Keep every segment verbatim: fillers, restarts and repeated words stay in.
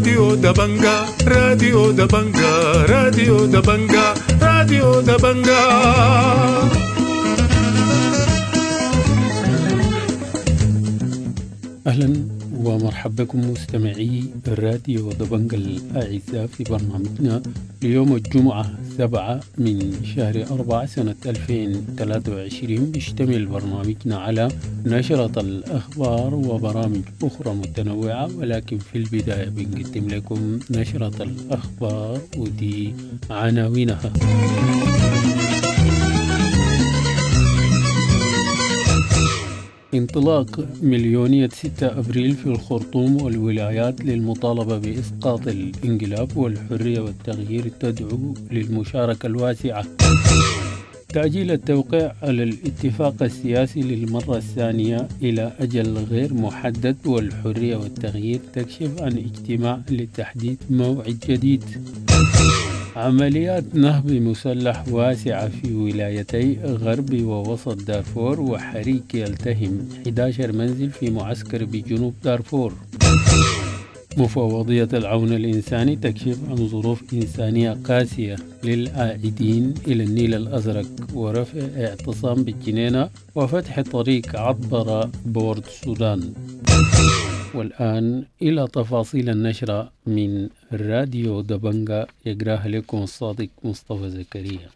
راديو دبنجا، راديو دبنجا، راديو دبنجا، راديو دبنجا. أهلا ومرحبا بكم مستمعي الراديو دبنجا الأعزاء في برنامجنا ليوم الجمعة سبعة من شهر أربعة سنة ألفين وثلاثة وعشرين. بيشتمل برنامجنا على نشرة الأخبار وبرامج أخرى متنوعة، ولكن في البداية بنقدم لكم نشرة الأخبار ودي عناوينها. انطلاق مليونية ستة أبريل في الخرطوم والولايات للمطالبة بإسقاط الانقلاب والحرية والتغيير تدعو للمشاركة الواسعة. تأجيل التوقيع على الاتفاق السياسي للمرة الثانية إلى أجل غير محدد، والحرية والتغيير تكشف عن اجتماع لتحديد موعد جديد. عمليات نهب مسلح واسعة في ولايتي غرب ووسط دارفور، وحريق يلتهم أحد عشر منزل في معسكر بجنوب دارفور. مفوضية العون الإنساني تكشف عن ظروف إنسانية قاسية للعائدين إلى النيل الأزرق، ورفع اعتصام بالجنينة وفتح طريق عبر بورد السودان. والآن إلى تفاصيل النشرة من راديو دبنجا، يقراها لكم الصادق مصطفى زكريا.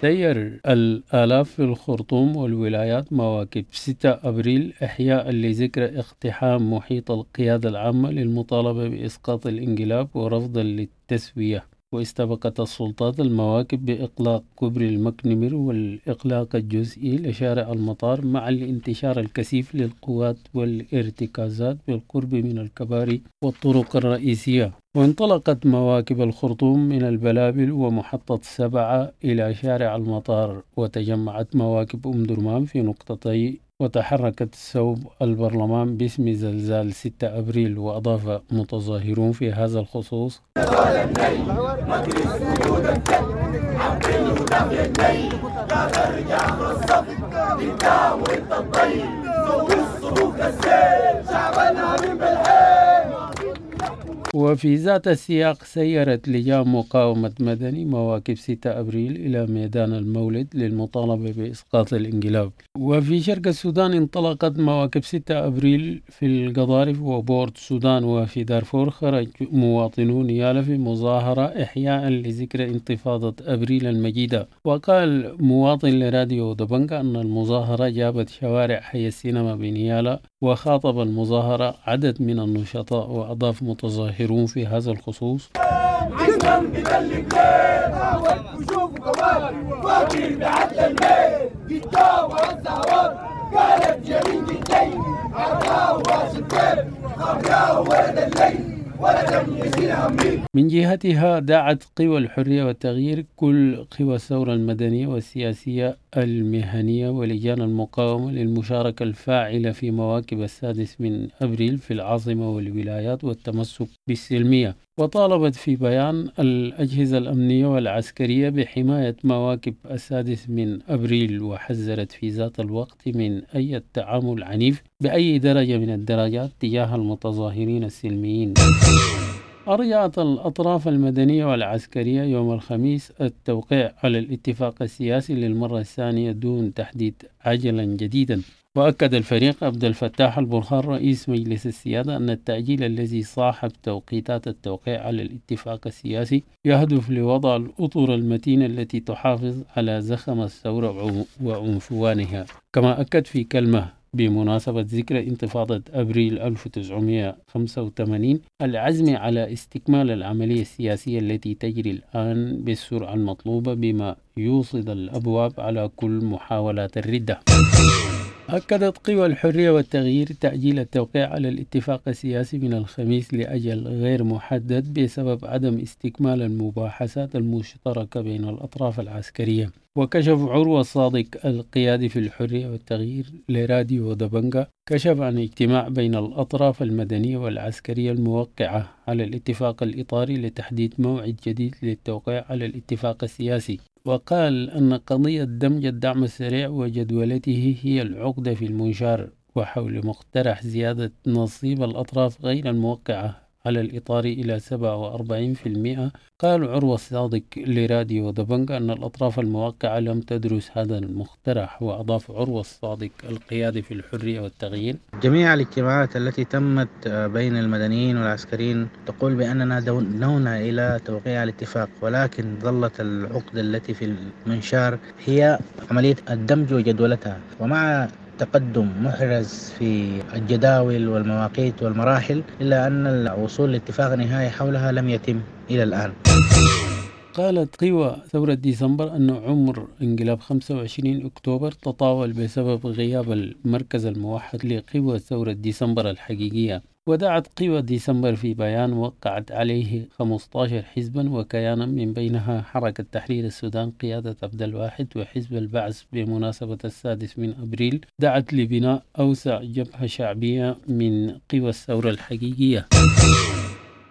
سير الآلاف في الخرطوم والولايات مواكب ستة أبريل إحياء لذكرى اقتحام محيط القيادة العامة للمطالبة بإسقاط الانقلاب ورفضا للتسوية. واستبقت السلطات المواكب بإغلاق كوبري المكنمر والإغلاق الجزئي لشارع المطار مع الانتشار الكثيف للقوات والارتكازات بالقرب من الكباري والطرق الرئيسية. وانطلقت مواكب الخرطوم من البلابل ومحطة سبعة إلى شارع المطار، وتجمعت مواكب أم درمان في نقطتي وتحركت صوب البرلمان باسم زلزال ستة أبريل. وأضاف متظاهرون في هذا الخصوص: وفي ذات السياق سيرت لجان مقاومة مدني مواكب ستة أبريل إلى ميدان المولد للمطالبة بإسقاط الانقلاب. وفي شرق السودان انطلقت مواكب ستة أبريل في القضارف وبورد السودان. وفي دارفور خرج مواطنون يالا في مظاهرة إحياء لذكرى انتفاضة أبريل المجيدة. وقال مواطن لراديو دبنجا أن المظاهرة جابت شوارع حي السينما بنيالا، وخاطب المظاهرة عدد من النشطاء. وأضاف متظاهرون في هذا الخصوص: من جهتها دعت قوى الحرية والتغيير كل قوى الثورة المدنية والسياسية المهنية ولجان المقاومة للمشاركة الفاعلة في مواكب السادس من أبريل في العاصمة والولايات والتمسك بالسلمية. وطالبت في بيان الأجهزة الأمنية والعسكرية بحماية مواكب السادس من أبريل، وحذرت في ذات الوقت من أي تعامل عنيف بأي درجة من الدرجات تجاه المتظاهرين السلميين. أرجعت الأطراف المدنية والعسكرية يوم الخميس التوقيع على الاتفاق السياسي للمرة الثانية دون تحديد عجلا جديدا. وأكد الفريق عبد الفتاح البرهان رئيس مجلس السيادة أن التأجيل الذي صاحب توقيتات التوقيع على الاتفاق السياسي يهدف لوضع الأطر المتينة التي تحافظ على زخم الثورة وعنفوانها. كما أكد في كلمة بمناسبة ذكرى انتفاضة أبريل ألف وتسعمائة وخمسة وثمانين العزم على استكمال العملية السياسية التي تجري الآن بالسرعة المطلوبة بما يوصد الأبواب على كل محاولات الردة. أكدت قوى الحرية والتغيير تأجيل التوقيع على الاتفاق السياسي من الخميس لأجل غير محدد بسبب عدم استكمال المباحثات المشتركة بين الأطراف العسكرية. وكشف عروة الصادق القيادي في الحرية والتغيير لراديو دبنجا كشف عن اجتماع بين الأطراف المدنية والعسكرية الموقعة على الاتفاق الإطاري لتحديد موعد جديد للتوقيع على الاتفاق السياسي. وقال أن قضية دمج الدعم السريع وجدولته هي العقدة في المنشار. وحول مقترح زيادة نصيب الأطراف غير الموقعة على الإطار إلى سبعة وأربعين في المئة، قال عروة الصادق لراديو دبنجا أن الأطراف الموقعة لم تدرس هذا المقترح. وأضاف عروة الصادق القيادي في الحرية والتغيير: جميع الاجتماعات التي تمت بين المدنيين والعسكريين تقول بأننا دونونا إلى توقيع الاتفاق، ولكن ظلت العقدة التي في المنشار هي عملية الدمج وجدولتها، ومع تقدم محرز في الجداول والمواقيت والمراحل إلا أن الوصول لاتفاق نهائي حولها لم يتم إلى الآن. قالت قوى ثورة ديسمبر أن عمر انقلاب خمسة وعشرين أكتوبر تطاول بسبب غياب المركز الموحد لقوى ثورة ديسمبر الحقيقية. ودعت قوى ديسمبر في بيان وقعت عليه خمسة عشر حزبا وكيانا من بينها حركة تحرير السودان قيادة عبد الواحد وحزب البعث بمناسبة السادس من أبريل، دعت لبناء أوسع جبهة شعبية من قوى الثورة الحقيقية.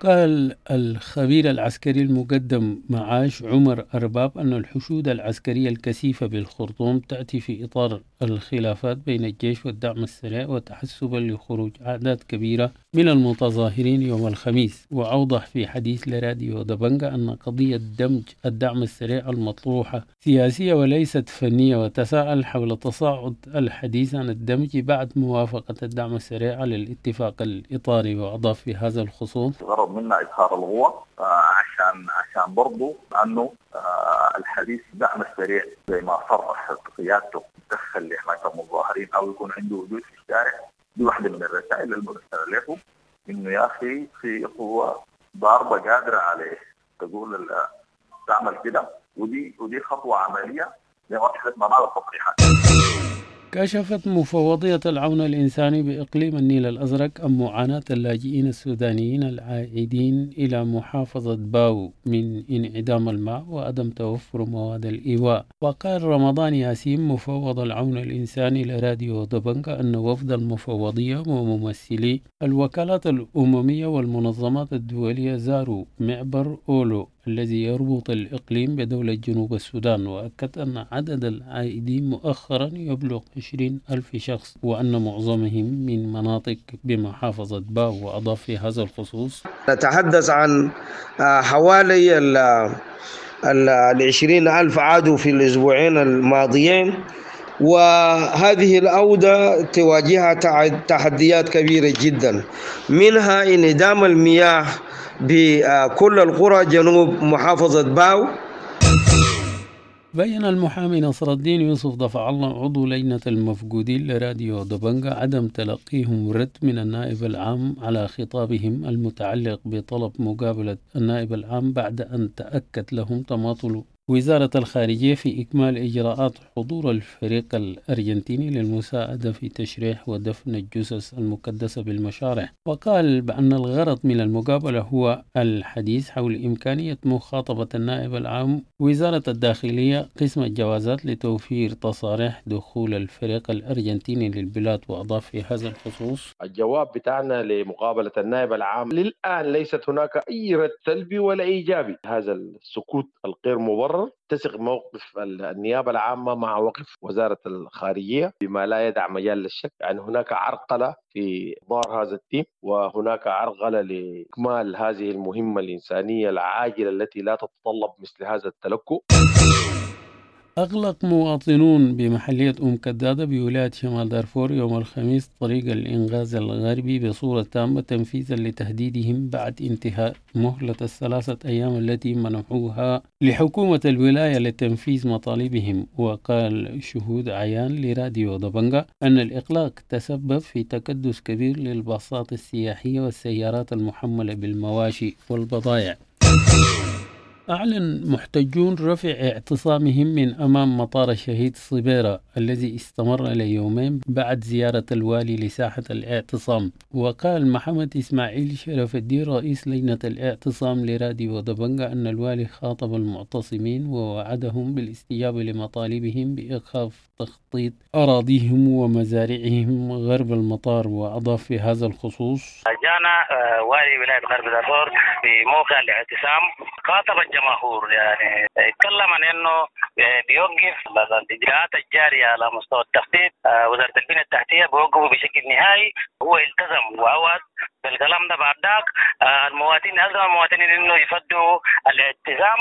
قال الخبير العسكري المقدم معاش عمر أرباب أن الحشود العسكرية الكثيفة بالخرطوم تأتي في إطار الخلافات بين الجيش والدعم السريع وتحسبا لخروج أعداد كبيرة من المتظاهرين يوم الخميس. وأوضح في حديث لراديو دبنجا أن قضية دمج الدعم السريع المطروحة سياسية وليست فنية، وتساءل حول تصاعد الحديث عن الدمج بعد موافقة الدعم السريع على الاتفاق الإطاري. وأضاف في هذا الخصوص: الغرض منا إظهار القوة عشان عشان برضو أنه الحديث دعم السريع زي ما صرح قيادته تدخل لحماية المتظاهرين أو يكون عنده وجود في الشارع. دي واحدة من الرسائل المرسلة له إنه يا أخي في قوة ضاربة قادرة عليه تقول تعمل كده، ودي ودي خطوة عملية لمرحلة ما بعد التصريحات. كشفت مفوضية العون الإنساني بإقليم النيل الأزرق عن معاناة اللاجئين السودانيين العائدين إلى محافظة باو من انعدام الماء وعدم توفر مواد الإيواء. وقال رمضان ياسين مفوض العون الإنساني لراديو دبنجا أن وفد المفوضية وممثلي الوكالات الأممية والمنظمات الدولية زاروا معبر أولو الذي يربط الإقليم بدولة جنوب السودان، وأكد أن عدد العائدين مؤخرا يبلغ عشرين ألف شخص وأن معظمهم من مناطق بمحافظة باو. وأضاف في هذا الخصوص: نتحدث عن حوالي العشرين ألف عادوا في الأسبوعين الماضيين، وهذه العودة تواجهها تحديات كبيرة جدا، منها انعدام المياه بكل القرى جنوب محافظة باو. بين المحامي نصر الدين يوسف دفع الله عضو لجنة المفقودين لراديو دبنجا عدم تلقيهم رد من النائب العام على خطابهم المتعلق بطلب مقابلة النائب العام بعد أن تأكد لهم تماطل وزارة الخارجية في إكمال إجراءات حضور الفريق الأرجنتيني للمساعدة في تشريح ودفن الجثث المكدسة بالمشارح. وقال بأن الغرض من المقابلة هو الحديث حول إمكانية مخاطبة النائب العام وزارة الداخلية قسم الجوازات لتوفير تصاريح دخول الفريق الأرجنتيني للبلاد. وأضاف في هذا الخصوص: الجواب بتاعنا لمقابلة النائب العام للآن ليست هناك أي رد سلبي ولا إيجابي. هذا السكوت الغير مبرر تسق موقف النيابة العامة مع وقف وزارة الخارجية بما لا يدع مجال للشك. يعني هناك عرقلة في إحضار هذا التيم، وهناك عرقلة لإكمال هذه المهمة الإنسانية العاجلة التي لا تتطلب مثل هذا التلكؤ. أغلق مواطنون بمحلية أم كدادة بولاية شمال دارفور يوم الخميس طريق الإنغاز الغربي بصورة تامة تنفيذا لتهديدهم بعد انتهاء مهلة الثلاثة أيام التي منحوها لحكومة الولاية لتنفيذ مطالبهم. وقال شهود عيان لراديو دبنجا أن الإغلاق تسبب في تكدس كبير للباصات السياحية والسيارات المحملة بالمواشي والبضائع. أعلن محتجون رفع اعتصامهم من أمام مطار الشهيد صبيرة الذي استمر ليومين بعد زيارة الوالي لساحة الاعتصام. وقال محمد إسماعيل شرف الدين رئيس لجنة الاعتصام لراديو دبنجا أن الوالي خاطب المعتصمين ووعدهم بالاستجابة لمطالبهم بإيقاف تخطيط أراضيهم ومزارعهم غرب المطار. وأضاف في هذا الخصوص: جانا والي ولاية غرب دارفور في موقع الاعتصام، خاطب الجماهير، يعني اتكلم عن انه بيوقف الاجراءات الجارية على مستوى التخطيط، وزارة البنية التحتية بيوقفوا بشكل نهائي. هو التزم وعوض بالكلام ده. بعد ذاك المواطنين الزم المواطنين انه يفدوا الالتزام.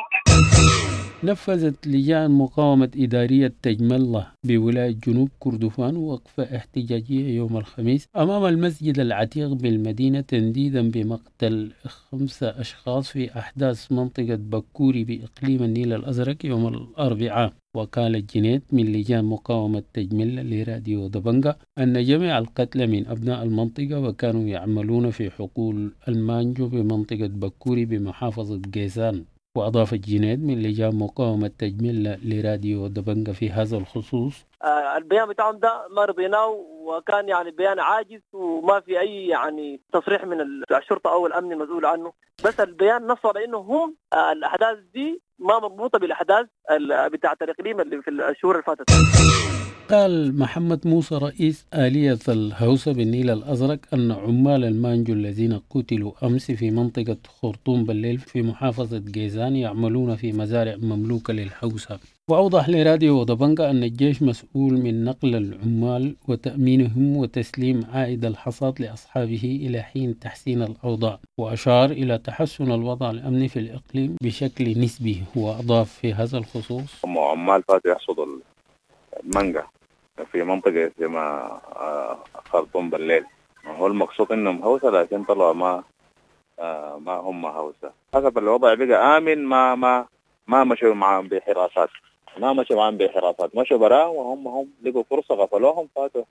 نفذت لجان مقاومة إدارية تجملة بولاية جنوب كردفان وقفة احتجاجية يوم الخميس أمام المسجد العتيق بالمدينة تنديدا بمقتل خمسة أشخاص في أحداث منطقة بكوري بإقليم النيل الأزرق يوم الأربعاء. وقال الجنيد من لجان مقاومة تجملة لراديو دبنجة أن جميع القتلى من أبناء المنطقة وكانوا يعملون في حقول المانجو بمنطقة بكوري بمحافظة جيزان. وأضاف الجنيد من لجان مقاومة تجميل لراديو دبنجة في هذا الخصوص: آه البيان بتاعهم ده ما رضيناه، وكان يعني بيان عاجز وما في أي يعني تصريح من الشرطة أو الأمن المسؤول عنه. بس البيان نص على إنه هم آه الأحداث دي ما مربوطة بالأحداث بتاعة الإقليم اللي في الشهور اللي فاتت. قال محمد موسى رئيس آلية الهوسة بالنيل الأزرق أن عمال المانجو الذين قتلوا أمس في منطقة خرطوم بالليل في محافظة جيزان يعملون في مزارع مملوكة للهوسة. وأوضح لراديو دبنجة أن الجيش مسؤول من نقل العمال وتأمينهم وتسليم عائد الحصاد لأصحابه إلى حين تحسين الأوضاع، وأشار إلى تحسن الوضع الأمني في الإقليم بشكل نسبي. وأضاف في هذا الخصوص: عمال فاتوا يحصدوا المانجا في منطقة اسمها خرطوم بالليل، هو المقصود انهم هوسة لكن طلعوا ما ما هم هوسة. حسب الوضع بقى آمن، ما ما ما مشوا معهم بحراسات، ما مشوا معهم بحراسات، مشوا براه وهم هم لقوا فرصة غفلوهم فاتوا.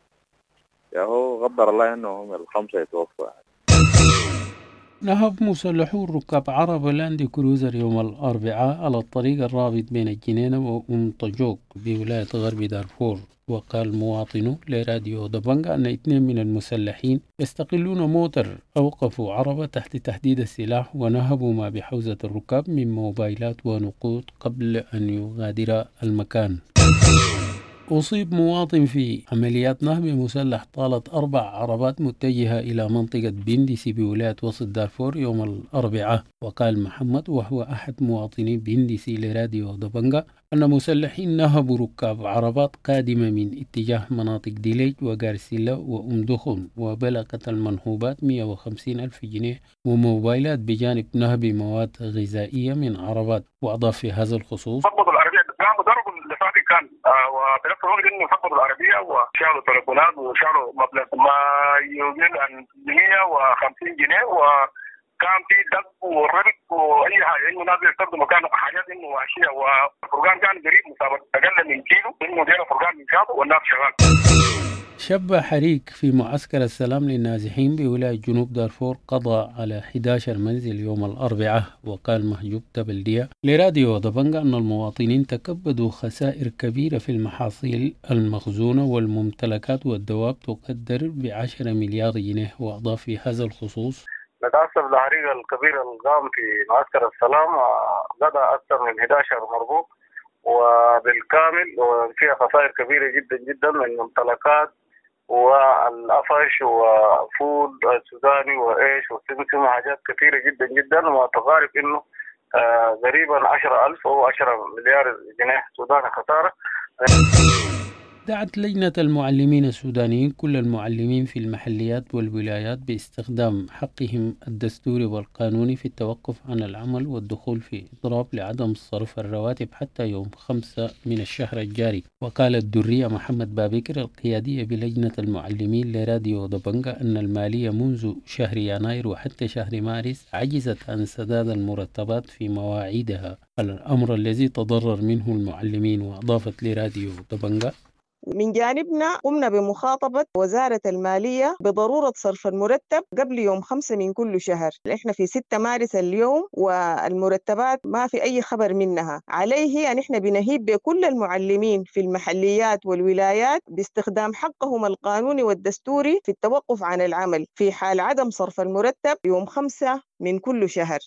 يا هو قدر الله انهم الخمسة يتوفوا. نهب مسلحو ركاب عربة لاند كروزر يوم الأربعاء على الطريق الرابط بين الجنينة وأم طجوك بولاية غرب دارفور. وقال مواطنو لراديو دبنجة أن اثنين من المسلحين يستقلون موتر أوقفوا عربة تحت تهديد السلاح ونهبوا ما بحوزة الركاب من موبايلات ونقود قبل أن يغادر المكان. أصيب مواطن في عمليات نهب مسلح طالت أربع عربات متجهة إلى منطقة بندسي بولاية وسط دارفور يوم الأربعاء. وقال محمد وهو أحد مواطني بندسي لراديو دبنجة أن مسلحين نهبوا ركاب عربات قادمة من اتجاه مناطق ديليج وغارسيلا وأم دخن، وبلغت المنهوبات مئة وخمسين ألف جنيه وموبايلات بجانب نهب مواد غذائية من عربات. وأضاف في هذا الخصوص: كان وفي نفس الوقت انه فقدوا العربية وشالوا تليفونات وشالوا مبلغ ما يقل عن مئة وخمسين جنيه، وكان في دق وربط واي حاجة انه ناس يستخدموا مكان حاجات انه وحشية، والفرقان كان قريب مسافة اقل من كيلو انه دينا فرقان من شاطئ والناس شغال. شب حريق في معسكر السلام للنازحين بولاية جنوب دارفور قضى على أحد عشر منزل يوم الأربعاء. وقال مهجوب تبلدية لراديو دبنجة أن المواطنين تكبدوا خسائر كبيرة في المحاصيل المخزونة والممتلكات والدواب تقدر بعشرة مليار جنيه. وأضاف في هذا الخصوص: نتأسف للحريق الكبير القام في معسكر السلام، قضى أكثر من أحد عشر مربوط وبالكامل، وفيها خسائر كبيرة جدا جدا من ممتلكات والقفش وفول السوداني وإيش وسمسم وحاجات كثيرة جدا جدا، وتقارب إنه قريبا عشرة ألف أو عشرة مليار جنيه سوداني خسارة. دعت لجنة المعلمين السودانيين كل المعلمين في المحليات والولايات باستخدام حقهم الدستوري والقانوني في التوقف عن العمل والدخول في إضراب لعدم صرف الرواتب حتى يوم خمسة من الشهر الجاري. وقالت درية محمد بابكر القيادية بلجنة المعلمين لراديو دبنجة أن المالية منذ شهر يناير وحتى شهر مارس عجزت عن سداد المرتبات في مواعيدها، الأمر الذي تضرر منه المعلمين. وأضافت لراديو دبنجة: من جانبنا قمنا بمخاطبة وزارة المالية بضرورة صرف المرتب قبل يوم خمسة من كل شهر. إحنا في ستة مارس اليوم والمرتبات ما في أي خبر منها. عليه أن إحنا بنهيب بكل المعلمين في المحليات والولايات باستخدام حقهم القانوني والدستوري في التوقف عن العمل في حال عدم صرف المرتب يوم خمسة من كل شهر.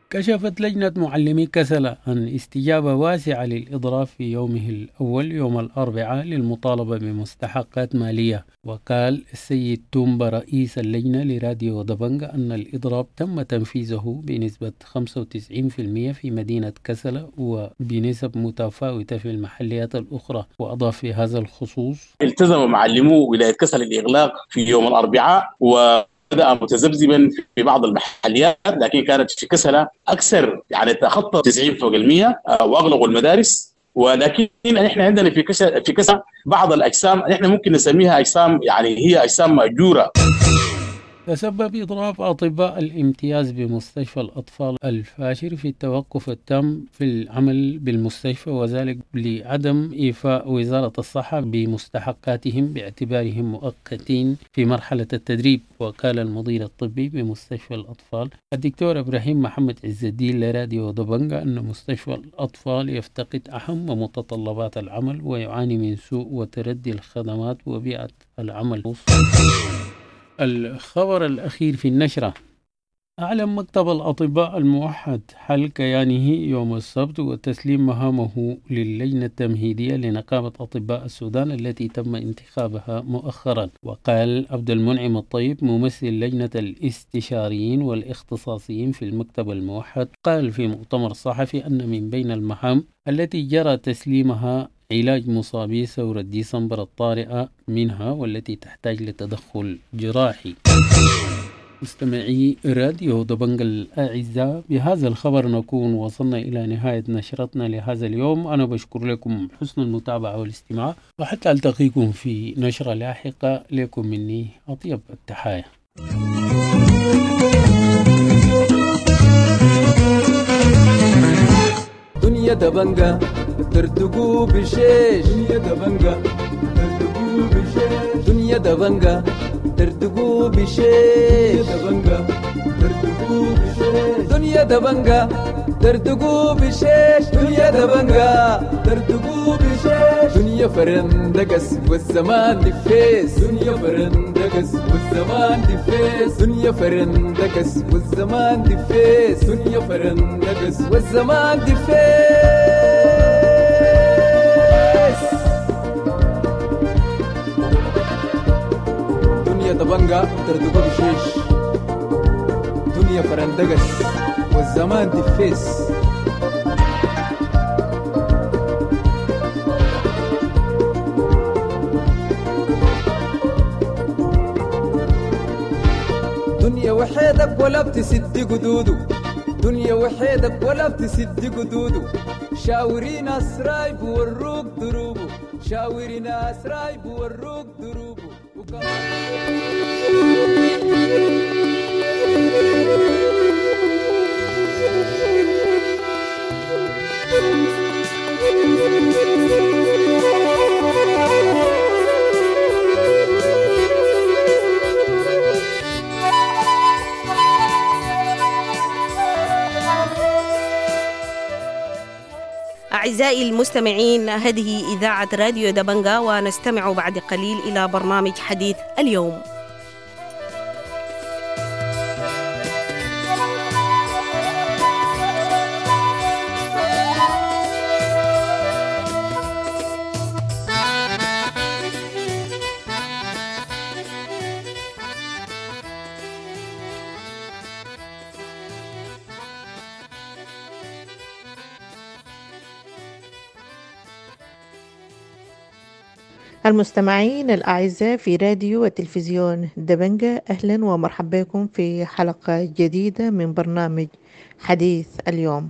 كشفت لجنة معلمي كسلا عن استجابة واسعة للإضراب في يومه الأول يوم الأربعاء للمطالبة بمستحقات مالية. وقال السيد تومبا رئيس اللجنة لراديو دبنجا أن الإضراب تم تنفيذه بنسبة خمسة وتسعين بالمئة في مدينة كسلا وبنسب متفاوتة في المحليات الأخرى. وأضاف في هذا الخصوص: التزم معلمو ولاية كسلا الإغلاق في يوم الأربعاء و بدأ متذبذبا في بعض المحليات، لكن كانت في كسلة أكثر، يعني تخطى تسعين فوق المية وأغلقوا المدارس. ولكن نحن عندنا في كسلة في كسلة بعض الأجسام نحن ممكن نسميها أجسام، يعني هي أجسام مأجورة. تسبب إضراب أطباء الامتياز بمستشفى الأطفال الفاشر في التوقف التام في العمل بالمستشفى، وذلك لعدم إيفاء وزارة الصحة بمستحقاتهم باعتبارهم مؤقتين في مرحلة التدريب. وقال المدير الطبي بمستشفى الأطفال الدكتور إبراهيم محمد عز الدين لراديو دبنجا أن مستشفى الأطفال يفتقد أهم متطلبات العمل ويعاني من سوء وتردي الخدمات وبيئة العمل. الخبر الأخير في النشرة: أعلن مكتب الأطباء الموحد حل كيانه يوم السبت وتسليم مهامه للجنة التمهيدية لنقابة أطباء السودان التي تم انتخابها مؤخرا. وقال عبد المنعم الطيب ممثل لجنة الاستشاريين والاختصاصيين في المكتب الموحد، قال في مؤتمر صحفي أن من بين المهام التي جرى تسليمها علاج مصابي ثورة ديسمبر الطارئة منها والتي تحتاج لتدخل جراحي. مستمعي راديو دبنجا الأعزاء، بهذا الخبر نكون وصلنا إلى نهاية نشرتنا لهذا اليوم. أنا بشكر لكم حسن المتابعة والاستماع، وحتى ألتقيكم في نشرة لاحقة. لكم مني أطيب التحايا. دنيا دبنجا ترتقو بشيش، دنيا دبنجا ترتقو بشيش، دنيا دبنجا ترتقو بشيش، دبنجا ترتقو بشيش، دنيا دبنجا ترتقو بشيش، دنيا دبنجا ترتقو بشيش، دنيا فرندقس والزمان دفيس، دنيا فرندقس والزمان دفيس، دنيا فرندقس والزمان دفيس، دنيا فرندقس والزمان دفيس. دنيا دبنجا ترتقو بشيش، دنيا فرندقس والزمان دفيس. دنيا وحيدك ولا بتسد قدوده، دنيا وحيدك ولا بتسد قدوده، شاوري ناس رايب وروك دروبه، شاوري ناس رايب وروك دروبه. أعزائي المستمعين، هذه إذاعة راديو دبنجا، ونستمع بعد قليل إلى برنامج حديث اليوم. المستمعين الأعزاء في راديو وتلفزيون دبنجا، أهلا ومرحبا بكم في حلقة جديدة من برنامج حديث اليوم.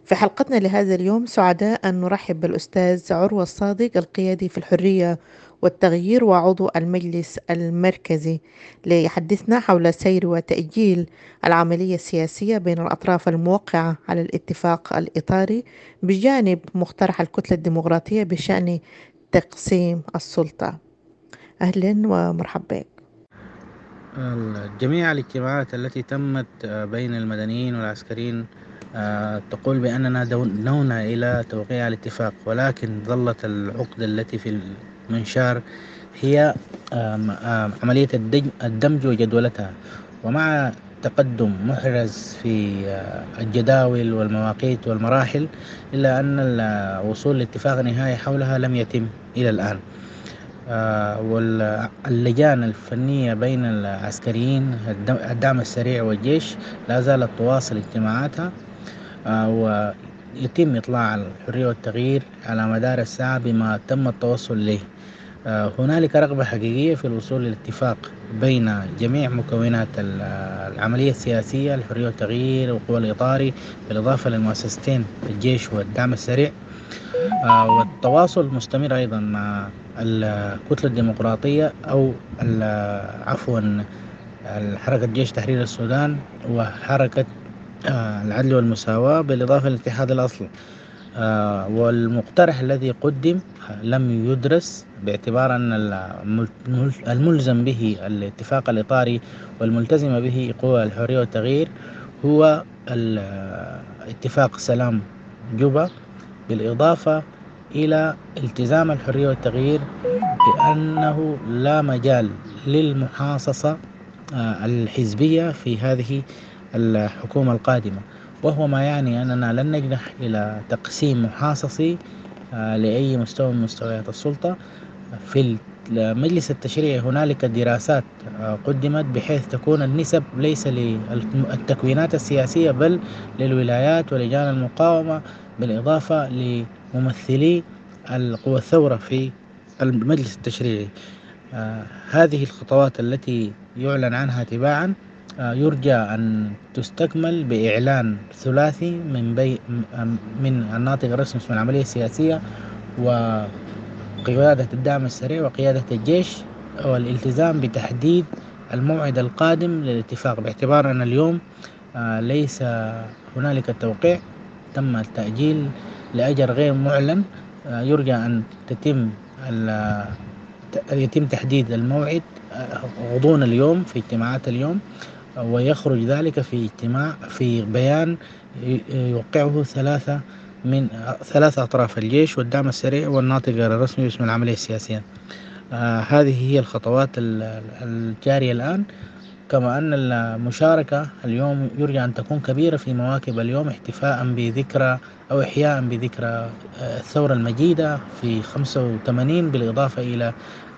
في حلقتنا لهذا اليوم سعداء أن نرحب بالأستاذ عروة الصادق، القيادي في الحرية والتغيير وعضو المجلس المركزي، ليحدثنا حول سير وتأجيل العملية السياسية بين الأطراف الموقعة على الاتفاق الإطاري بجانب مقترح الكتلة الديمقراطية بشأن تقسيم السلطة. أهلا ومرحبا بك. جميع الاجتماعات التي تمت بين المدنيين والعسكريين تقول بأننا دنونا إلى توقيع الاتفاق، ولكن ظلت العقدة التي في المنشار هي عملية الدمج وجدولتها. ومع تقدم محرز في الجداول والمواقيت والمراحل، إلا أن الوصول لاتفاق نهائي حولها لم يتم إلى الآن. واللجان الفنية بين العسكريين الدعم السريع والجيش لا زالت تواصل اجتماعاتها، ويتم إطلاع الحرية والتغيير على مدار الساعة بما تم التوصل إليه. هنالك رغبة حقيقية في الوصول للاتفاق بين جميع مكونات العملية السياسية، الحرية والتغيير والقوى الإطاري، بالإضافة للمؤسستين الجيش والدعم السريع، والتواصل مستمر أيضا مع الكتلة الديمقراطية أو عفوا حركة جيش تحرير السودان وحركة العدل والمساواة، بالإضافة للاتحاد الأصلي. والمقترح الذي قدم لم يدرس باعتبار أن الملزم به الاتفاق الإطاري والملتزم به قوى الحرية والتغيير هو اتفاق سلام جوبا، بالإضافة إلى التزام الحرية والتغيير بأنه لا مجال للمحاصصة الحزبية في هذه الحكومة القادمة، وهو ما يعني أننا لن نجنح إلى تقسيم محاصصي لأي مستوى من مستويات السلطة. في المجلس التشريعي هنالك دراسات قدمت بحيث تكون النسب ليس للتكوينات السياسية بل للولايات ولجان المقاومة، بالإضافة لممثلي القوى الثورة في المجلس التشريعي. هذه الخطوات التي يعلن عنها تباعا يرجى أن تستكمل بإعلان ثلاثي من بي من الناطق الرسمي من العملية السياسية وقيادة الدعم السريع وقيادة الجيش، والالتزام بتحديد الموعد القادم للاتفاق، باعتبار أن اليوم ليس هنالك توقيع، تم التأجيل لأجل غير معلن. يرجى أن تتم يتم تحديد الموعد غضون اليوم في اجتماعات اليوم، ويخرج ذلك في اجتماع في بيان يوقعه ثلاثة من ثلاثة أطراف: الجيش والدعم السريع والناطق الرسمي باسم العملية السياسية. آه هذه هي الخطوات الجارية الآن. كما أن المشاركة اليوم يرجى أن تكون كبيرة في مواكب اليوم، احتفاء بذكرى أو إحياء بذكرى الثورة المجيدة في خمسة وثمانين، بالإضافة إلى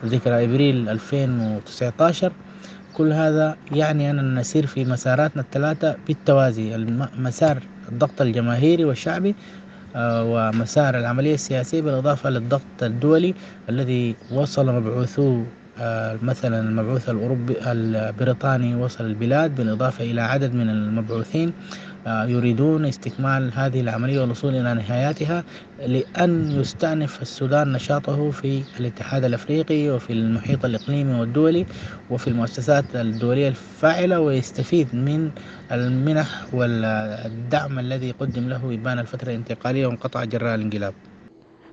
ذكرى إبريل ألفين وتسعة عشر. كل هذا يعني أننا نسير في مساراتنا الثلاثة بالتوازي: مسار الضغط الجماهيري والشعبي، ومسار العملية السياسية، بالإضافة للضغط الدولي الذي وصل مبعوثوه، مثلا المبعوث الأوروبي البريطاني وصل البلاد، بالإضافة إلى عدد من المبعوثين يريدون استكمال هذه العملية والوصول إلى نهاياتها، لأن يستأنف السودان نشاطه في الاتحاد الأفريقي وفي المحيط الإقليمي والدولي وفي المؤسسات الدولية الفاعلة، ويستفيد من المنح والدعم الذي قدم له إبان الفترة الانتقالية وانقطع جراء الانقلاب.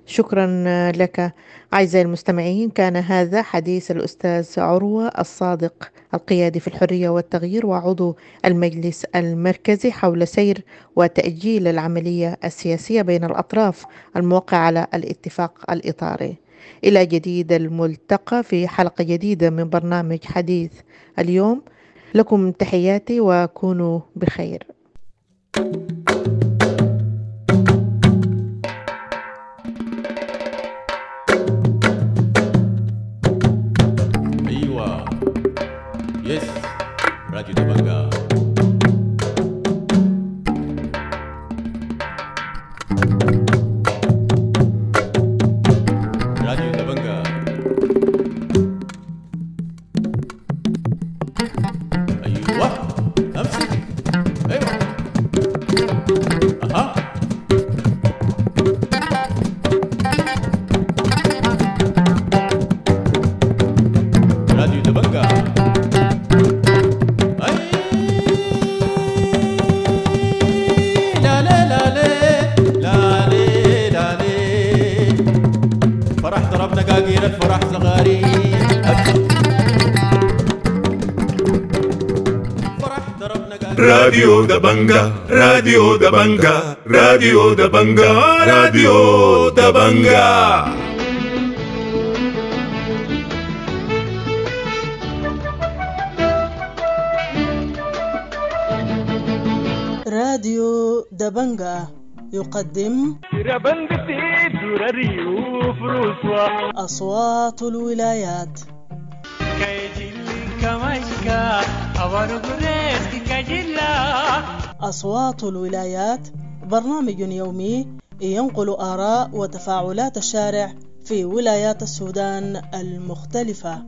شكرا لك. أعزائي المستمعين، كان هذا حديث الأستاذ عروة الصادق القيادي في الحرية والتغيير وعضو المجلس المركزي حول سير وتأجيل العملية السياسية بين الأطراف الموقعة على الاتفاق الإطاري. إلى جديد الملتقى في حلقة جديدة من برنامج حديث اليوم. لكم تحياتي وكونوا بخير. يس راديو دبنجا. راديو دبنجا. ايوه امسك. ايوه اها. راديو دبنجا. الفرح صغاري راديو دبنجا، راديو دبنجا، راديو دبنجا، راديو دبنجا. دبنجا يقدم أصوات الولايات. أصوات الولايات برنامج يومي ينقل آراء وتفاعلات الشارع في ولايات السودان المختلفة.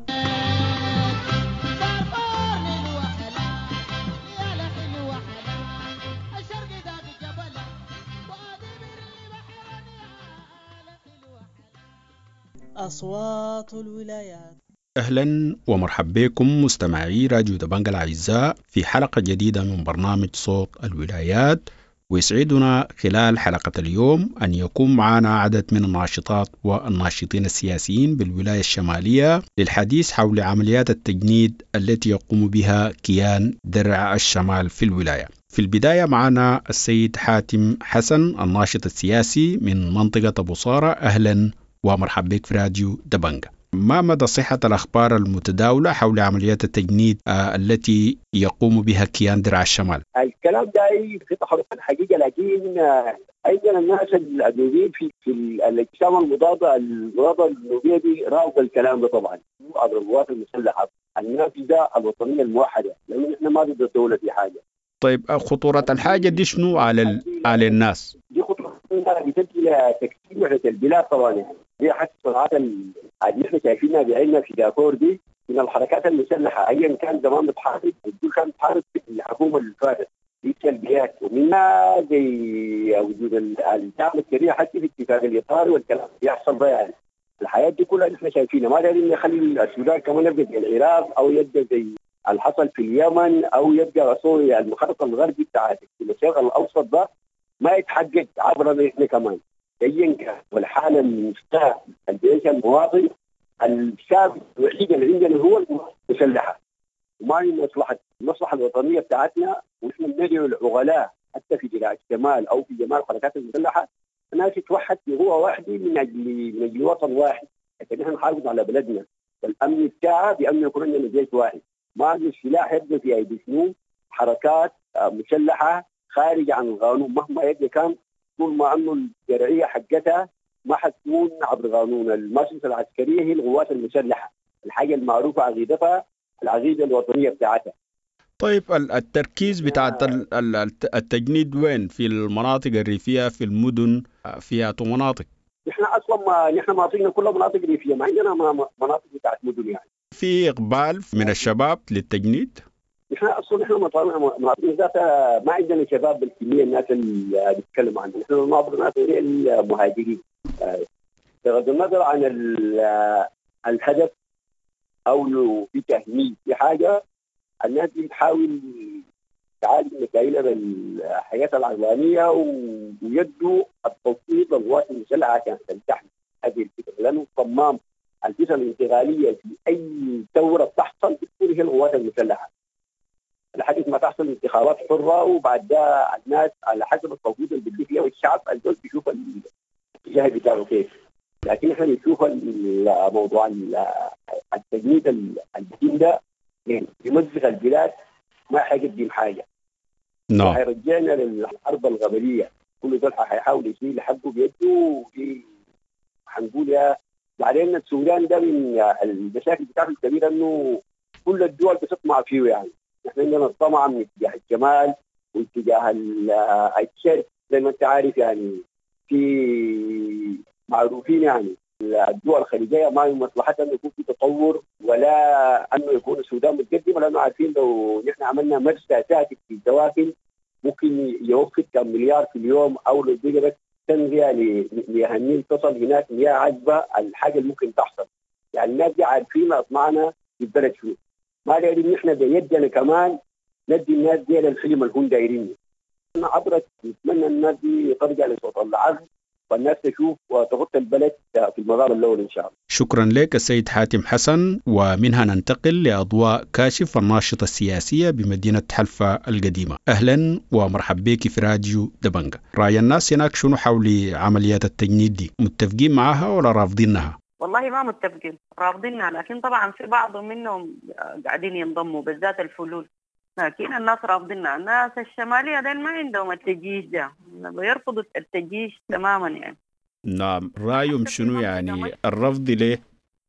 أصوات الولايات. أهلا ومرحبا بكم مستمعي راديو دبنجا الأعزاء في حلقة جديدة من برنامج صوت الولايات، ويسعدنا خلال حلقة اليوم أن يكون معنا عدد من الناشطات والناشطين السياسيين بالولاية الشمالية للحديث حول عمليات التجنيد التي يقوم بها كيان درع الشمال في الولاية. في البداية معنا السيد حاتم حسن الناشط السياسي من منطقة أبو صارة. أهلا ومرحبا بك في راديو دبنجا. ما مدى صحة الأخبار المتداولة حول عمليات التجنيد التي يقوم بها كيان درع الشمال؟ الكلام ده في تحرك الحقيقة، لكن أيضا الناس النوبيين في في الأجسام المضادة المضادة النوبية دي رافضة الكلام ده طبعا عبر القوات المسلحة النافذة الوطنية الموحدة، لأنه نحن ما ضد الدولة في حاجة. طيب خطورة الحاجة دي شنو على ال... على الناس؟ دي خطورة بتؤدي إلى تكسير وحدة البلاد طبعا، يعني دي حتى الصناعات اللي احنا شايفينها بعيننا في دافور دي من الحركات المسلحة ايا كان زمان بتحارب، بتقول كانت بتحارب الحكومة اللي فاتت دي سلبيات، ومنها زي وجود الدعم السريع حتى في اتفاق الاطار والكلام بيحصل ده. يعني الحياة دي كلها احنا شايفينها، ما دايرين نخلي السودان كمان يبقى زي العراق او يبقى زي اللي حصل في اليمن او يبقى سوريا. المخطط الغربي بتاع الشرق الاوسط ده ما يتحقق عبرنا احنا كمان ايا كان، والحالة المستاء الجيش المواطن الشاب الوحيد اللي عندنا هو المسلحة، وما هي مصلحة المصلحة الوطنية بتاعتنا. ونحن بندعو العقلاء حتى في جراء الشمال او في جمال الحركات المسلحة الناس تتوحد في قوة واحدة من اجل من اجل وطن واحد، عشان نحن نحافظ على بلدنا والامن بتاعها بان يكون عندنا جيش واحد. ما السلاح يبقى في ايدي شنو حركات مسلحة خارج عن القانون مهما يبقى كان، طول ما انه الشرعية حقتها ما حتكون عبر قانون المؤسسة العسكرية، هي القوات المسلحة الحاجة المعروفة عقيدتها العقيدة الوطنية بتاعتها. طيب التركيز بتاع التجنيد وين؟ في المناطق الريفية، في المدن، في مناطق؟ نحن اصلا ما نحن مناطقنا كلها مناطق ريفيه، ما عندنا مناطق بتاعت مدن. يعني في اقبال من الشباب للتجنيد؟ نحن اصلا نحن مناطقنا ذاتها ما عندنا شباب بالكمية الناس اللي بيتكلموا عنها، نحن نعبر ناس المهاجرين. بغض النظر عن الهدف او لو في تهميش في حاجة، الناس دي بتحاول تعالج مشاكلها بالحياة العقلانية ويدوا التوصيل للقوات المسلحة عشان تمتحن هذه الفكرة، لانه صمام الفكرة الانتقالية في اي ثورة بتحصل بتكون هي القوات المسلحة. لحد ما تحصل انتخابات حره، وبعد ده الناس على حسب التوقيت اللي بيديه فيها والشعب الزول بيشوف الاتجاه بتاعه كيف. لكن احنا بنشوف الموضوع التجنيد الجديد ده يمزق البلاد، ما حيقدم حاجة. نعم. حيرجعنا للحرب الغبليه، كل زول حيحاول يشيل حقه بيده. حنقول يا بعدين السودان ده من المشاكل بتاعته الكبيرة انه كل الدول بتطمع فيه. يعني نحن عندنا الطمع من اتجاه الشمال واتجاه الشرق زي ما انت عارف، يعني في معروفين يعني الدول الخليجية ما مصلحتها انه يكون في تطور ولا انه يكون السودان متقدم، لانه عارفين لو نحن عملنا مرسى ساكت في الدواخل ممكن يوفر كم مليار في اليوم، او لو بقى بس تنقية لمياه النيل تصل هناك مياه عذبه، الحاجة اللي ممكن تحصل. يعني الناس دي عارفين اطمعنا في البلد شنو، ما دايرين نحن بيدنا كمان ندي الناس دي للحلم اللي هم دايرينه. عبرت نتمنى الناس دي ترجع لصوت العزم والناس تشوف وتغطي البلد في المغار الاول ان شاء الله. شكرا لك السيد حاتم حسن، ومنها ننتقل لاضواء كاشف الناشطه السياسية بمدينة حلفا القديمة. اهلا ومرحبا بك في راديو دبنجا. راي الناس هناك شنو حول عمليات التجنيد دي؟ متفقين معها ولا رافضينها؟ والله ما متفقين، رافضينها، لكن طبعا في بعض منهم قاعدين ينضموا، بالذات الفلول. لكن الناس رافضينها. الناس الشمالية دين ما عندهم التجيش ده، بيرفضوا التجيش تماما يعني. نعم، رأيهم شنو يعني الرفض ليه؟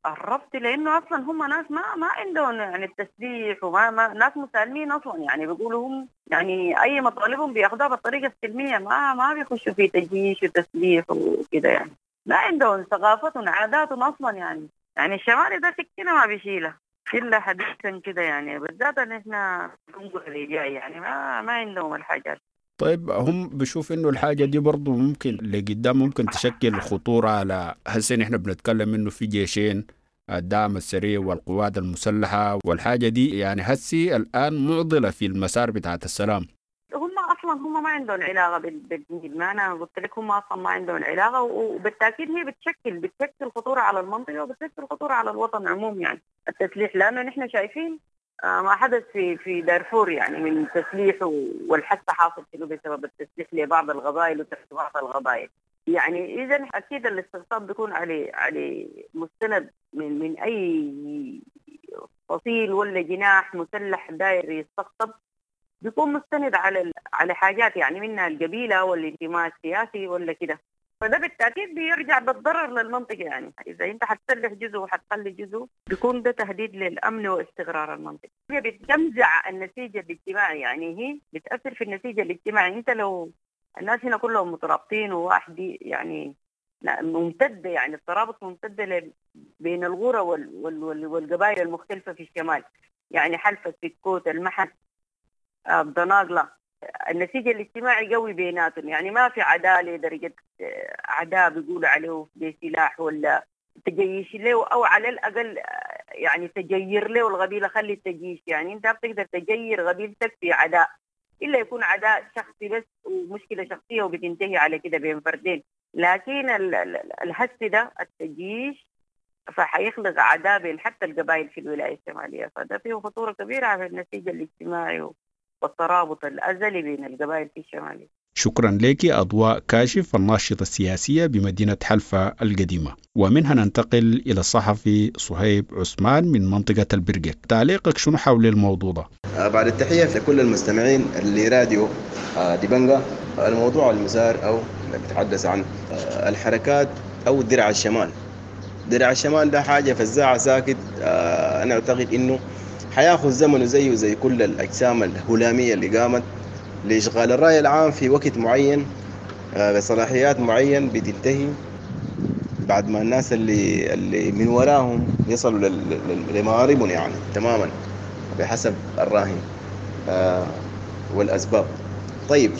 الرفض لانه اصلا هم ناس ما ما عندهم يعني التسليح، وما ما ناس مسالمين اصلا يعني، بيقولوا هم يعني اي مطالبهم بياخذوها بالطريقة السلمية، ما ما بيخشوا في تجيش وتسليح وكده يعني، ما عندهم ثقافتهم عاداتهم اصلا يعني. يعني الشمالي ده سكينة ما بيشيلها الا حديثا كده يعني، بالذات ان احنا بنقول جاي يعني ما ما عندهم الحاجات. طيب هم بشوف انه الحاجة دي برضو ممكن لقدام ممكن تشكل خطورة على هسه نحن بنتكلم انه في جيشين، الدعم السريع والقوات المسلحة، والحاجة دي يعني هسي الآن معضلة في المسار بتاعت السلام. هم أصلا هم ما عندهم علاقة بالدين، ما أنا قلت لك هم أصلا ما عندهم علاقة، وبالتأكيد هي بتشكل بتشكل خطورة على المنطقة وبتشكل خطورة على الوطن عموم يعني التسليح، لأنه نحن شايفين ما حدث في في دارفور يعني من تسليح، والحث حاصل شنو بسبب التسليح لبعض القبائل وتحت بعض القبائل يعني. إذا أكيد الاستقطاب بيكون على على مستند من من أي فصيل ولا جناح مسلح داير يستقطب، بيكون مستند على على حاجات يعني منها القبيلة والانتماء السياسي ولا كده، فده بالتأكيد بيرجع بالضرر للمنطقة يعني. إذا أنت حتسلح جزء وحتخلي جزء بيكون ده تهديد للأمن واستقرار المنطقة. هي بتمزع النسيج الاجتماعي يعني، هي بتأثر في النسيج الاجتماعي. أنت لو الناس هنا كلهم مترابطين وواحد يعني ممتدة يعني الترابط ممتدة بين الغرة وال وال والقبائل المختلفة في الشمال يعني، حلفة، سكوت، المحس، الضناقلة، النسيج الاجتماعي قوي بيناتهم يعني، ما في عدالة درجة عداء بيقولوا عليه بسلاح ولا تجيش له، أو على الأقل يعني تجير له القبيلة، خلي التجيش يعني أنت بتقدر تجير قبيلتك في عداء إلا يكون عداء شخصي بس ومشكلة شخصية وبتنتهي على كده بين فردين، لكن الهس ده التجيش فحيخلق عداء بين حتى القبائل في الولاية الشمالية، فده فيه خطورة كبيرة على النسيج الاجتماعي والترابط الأزلي بين القبائل في الشمالية. شكرا لك أضواء كاشف الناشطة السياسية بمدينة حلفة القديمة. ومنها ننتقل إلى الصحفي صهيب عثمان من منطقة البرقة. تعليقك شنو حول الموضوع ده؟ بعد التحية لكل المستمعين اللي راديو ديبنجا، الموضوع المثار أو اللي بيتحدث عن الحركات أو درع الشمال. درع الشمال ده حاجة فزاعة ساكت، أنا أعتقد إنه حياخذ زمنه زيه زي كل الأجسام الهلامية اللي قامت لإشغال الرأي العام في وقت معين بصلاحيات معين بتنتهي بعد ما الناس اللي اللي من وراهم يصلوا لمآربهم يعني تماما بحسب الراهن والأسباب. طيب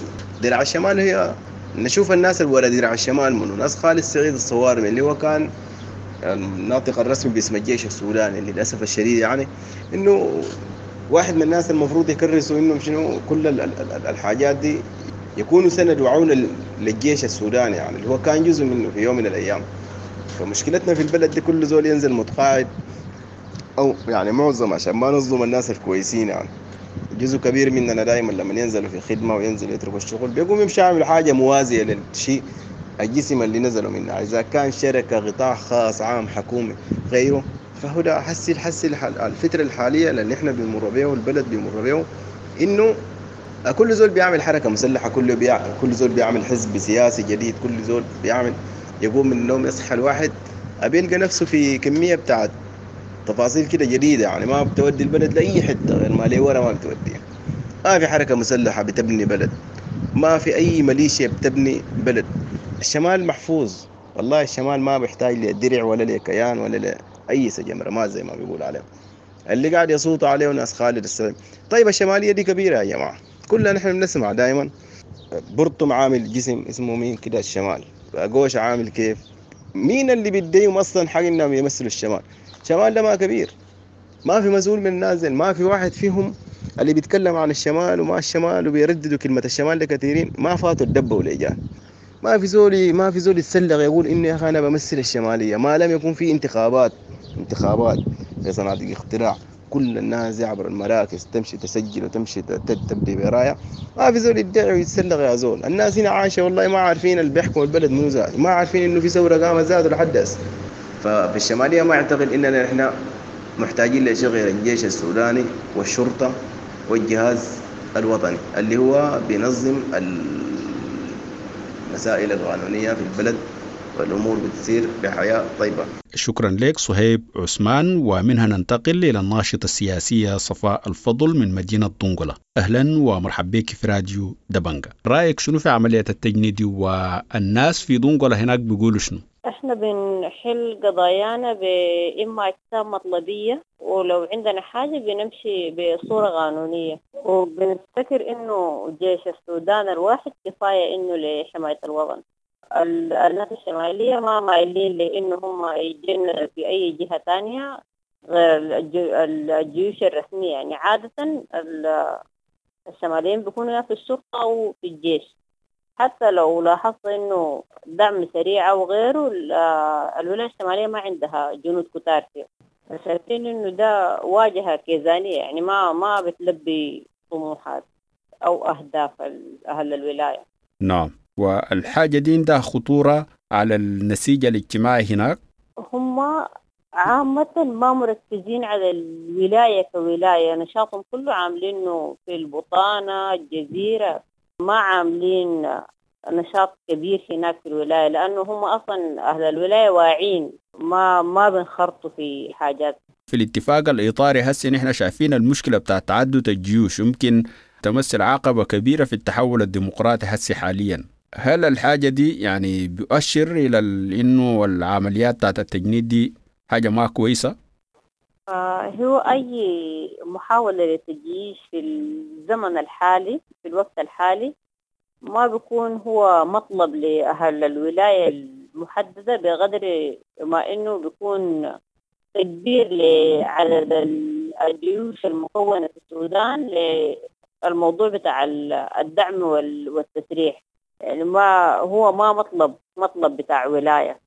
درع الشمال هي نشوف الناس اللي ورا درع الشمال منه ناس خالد سعيد الصوارمي اللي هو كان الناطق الرسمي باسم الجيش السوداني، اللي للأسف الشديد يعني إنه واحد من الناس المفروض يكرسوا إنهم شنو كل الحاجات دي يكونوا سند وعون للجيش السوداني يعني اللي هو كان جزء منه في يوم من الأيام. فمشكلتنا في البلد دي كل زول ينزل متقاعد أو يعني معظم، عشان ما نظلم الناس الكويسين يعني جزء كبير مننا دائما لما ينزلوا في خدمة وينزل يتركوا الشغل بيقوم يمشي يعمل حاجة موازية للشيء الجسم اللي نزلوا منه، إذا كان شركة قطاع خاص عام حكومي غيره. فهو ده حسي الحسي الفترة الحالية اللي احنا بنمر بيه والبلد بيمر بيه إنه كل زول بيعمل حركة مسلحة، كل بيعمل كل زول بيعمل حزب سياسي جديد، كل زول بيعمل يقوم من النوم يصحى الواحد بيلقى نفسه في كمية بتاعت تفاصيل كده جديدة يعني ما بتودي البلد لأي حتة غير ما ليه ورا ما بتوديها. ما في حركة مسلحة بتبني بلد، ما في أي ميليشيا بتبني بلد. الشمال محفوظ والله، الشمال ما بيحتاج لدرع ولا لكيان ولا لأي سجم رماد زي ما بيقول عليه اللي قاعد يصوت عليه ناس خالد السعيد. طيب الشمالية دي كبيرة يا جماعة، كلنا نحن بنسمع دائما برطم عامل جسم اسمه مين كده الشمال، قوش عامل كيف، مين اللي بيديهم أصلا حق إنهم يمثلوا الشمال؟ الشمال ده ما كبير، ما في مسؤول من النازل، ما في واحد فيهم اللي بيتكلم عن الشمال وما الشمال وبيرددوا كلمة الشمال لكثيرين ما فاتوا الدبة والإيجان. ما في زولي ما في زول يتسلق يقول إني يا أخي أنا بمثل الشمالية، ما لم يكون في انتخابات انتخابات في صناديق اختراع كل الناس عبر المراكز تمشي تسجل وتمشي تبدي براية، ما في زول يدعي ويتسلق يا زول. الناس هنا عايشة والله ما عارفين اللي بيحكم البلد منو زاد، ما عارفين إنه في ثورة قامت زاد لحد هسه. ففي الشمالية ما أعتقد إننا إحنا محتاجين لشيء غير الجيش السوداني والشرطة والجهاز الوطني اللي هو بينظم المسائل القانونية في البلد، والأمور بتسير بحياة طيبة. شكرا لك صهيب عثمان. ومنها ننتقل إلى الناشطة السياسية صفاء الفضل من مدينة دنقلة. أهلا ومرحبا بك في راديو دبنجة. رأيك شنو في عملية التجنيد والناس في دنقلة هناك بيقولوا شنو؟ احنا بنحل قضايانا بإما أجسام مطلبية، ولو عندنا حاجة بنمشي بصورة قانونية، وبنفتكر إنه جيش السودان الواحد كفاية إنه لحماية الوطن. الناس الشمالية ما مايلين لإنه هم يجن في أي جهة تانية غير الجيوش الرسمية. يعني عادة الشماليين بيكونوا يا في الشرطة أو في الجيش. حتى لو لاحظت إنه دعم سريع أو غيره، الولاية الشمالية ما عندها جنود كتار فيه. شايفين إنه ده واجهة كيزانية، يعني ما ما بتلبي طموحات أو أهداف أهل الولاية. نعم، والحاجة دي عندها خطورة على النسيج الاجتماعي هناك. هم عامة ما مركزين على الولاية كولاية، نشاطهم كله عاملينه في البطانة الجزيرة، ما عاملين نشاط كبير هناك في الولاية، لأنه هم أصلا أهل الولاية واعين، ما ما بنخرطوا في حاجات. في الاتفاق الإطاري هسه نحن شايفين المشكلة بتاع تعدد الجيوش يمكن تمثل عقبة كبيرة في التحول الديمقراطي هسه حاليا. هل الحاجة دي يعني بيؤشر إلى إنه العمليات بتاعت التجنيد دي حاجة ما كويسة؟ آه هو أي محاولة للتجيش في الزمن الحالي في الوقت الحالي ما بيكون هو مطلب لأهل الولاية المحددة بقدر ما إنه بيكون تكبير لعدد الجيوش المكونة في السودان للموضوع بتاع الدعم والتسريح. يعني ما هو ما مطلب مطلب بتاع ولاية.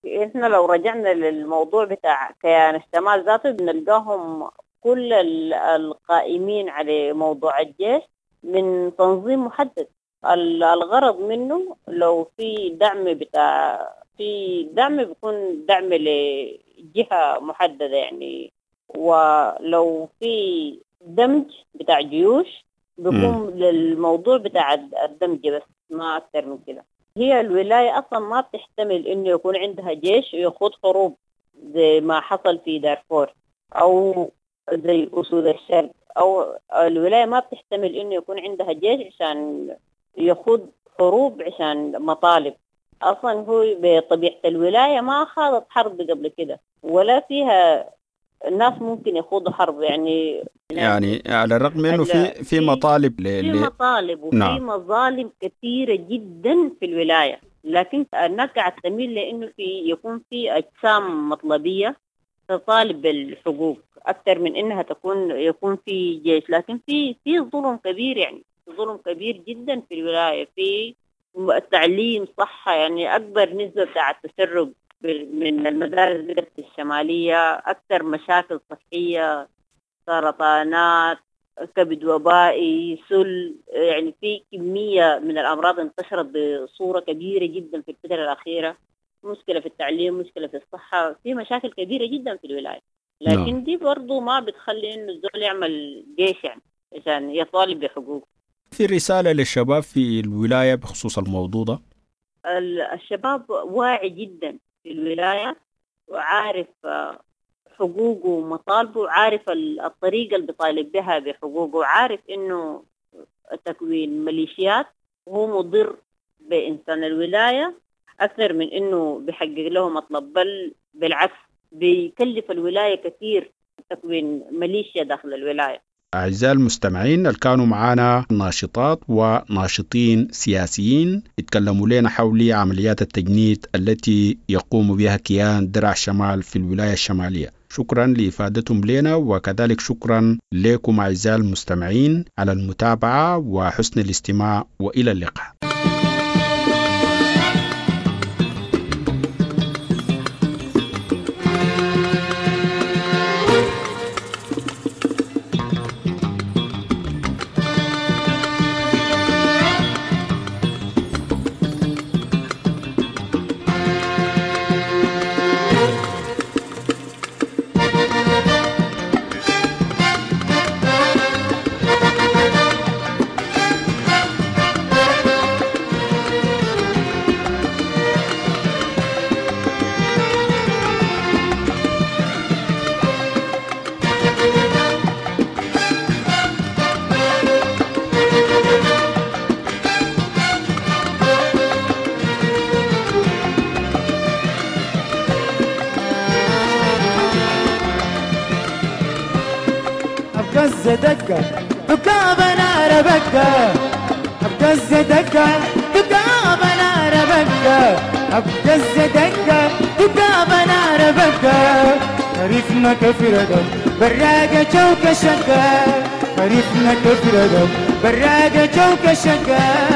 إحنا لو رجعنا للموضوع بتاع كيان الشمال ذاته بنلقاهم كل القائمين على موضوع الجيش من تنظيم محدد. الغرض منه لو في دعم بتاع في دعم بيكون دعم لجهة محددة يعني، ولو في دمج بتاع جيوش بيكون للموضوع بتاع الدمج بس، ما أكثر من كده. هي الولاية أصلا ما بتحتمل إنه يكون عندها جيش ويخوض حروب زي ما حصل في دارفور أو زي أسود الشرق، أو الولاية ما بتحتمل إنه يكون عندها جيش عشان يخوض حروب عشان مطالب. أصلا هو بطبيعة الولاية ما خاضت حرب قبل كده ولا فيها الناس ممكن يخوضوا حرب. يعني يعني على الرغم انه في في مطالب ل... في مطالب وفي نعم. مظالم كثيره جدا في الولايه، لكن الناس قاعده تميل لانه في يكون في اجسام مطلبيه تطالب بالحقوق اكثر من انها تكون يكون في جيش. لكن في في ظلم كبير، يعني ظلم كبير جدا في الولايه في التعليم، صحه، يعني اكبر نسبه بتاع التسرب من المدارس بقت الشمالية، أكثر مشاكل صحية، سرطانات، كبد وبائي، سل، يعني في كمية من الأمراض انتشرت بصورة كبيرة جدا في الفترة الأخيرة. مشكلة في التعليم، مشكلة في الصحة، في مشاكل كبيرة جدا في الولاية. لكن دي برضو ما بتخلي إنه الزول يعمل جيش يعني عشان يطالب بحقوقه. في رسالة للشباب في الولاية بخصوص الموضوع ده؟ الشباب واعي جدا في الولاية وعارف حقوقه ومطالبه، وعارف الطريقة اللي بيطالب بها بحقوقه، وعارف إنه تكوين ميليشيات هو مضر بإنسان الولاية أكثر من إنه بيحقق له مطلب، بل بالعكس بيكلف الولاية كثير تكوين ميليشيا داخل الولاية. أعزائي المستمعين اللي كانوا معانا ناشطات وناشطين سياسيين يتكلموا لنا حول عمليات التجنيد التي يقوم بها كيان درع الشمال في الولاية الشمالية. شكرا لإفادتهم لنا، وكذلك شكرا لكم أعزائي المستمعين على المتابعة وحسن الاستماع، وإلى اللقاء. أبقز دقة دقابة نار بقة أبقز دقة دقابة نار بقة أبقز دقة دقابة نار بقة خريفنا كفردم براقة جوكة شقة خريفنا كفردم براقة جوكة شقة.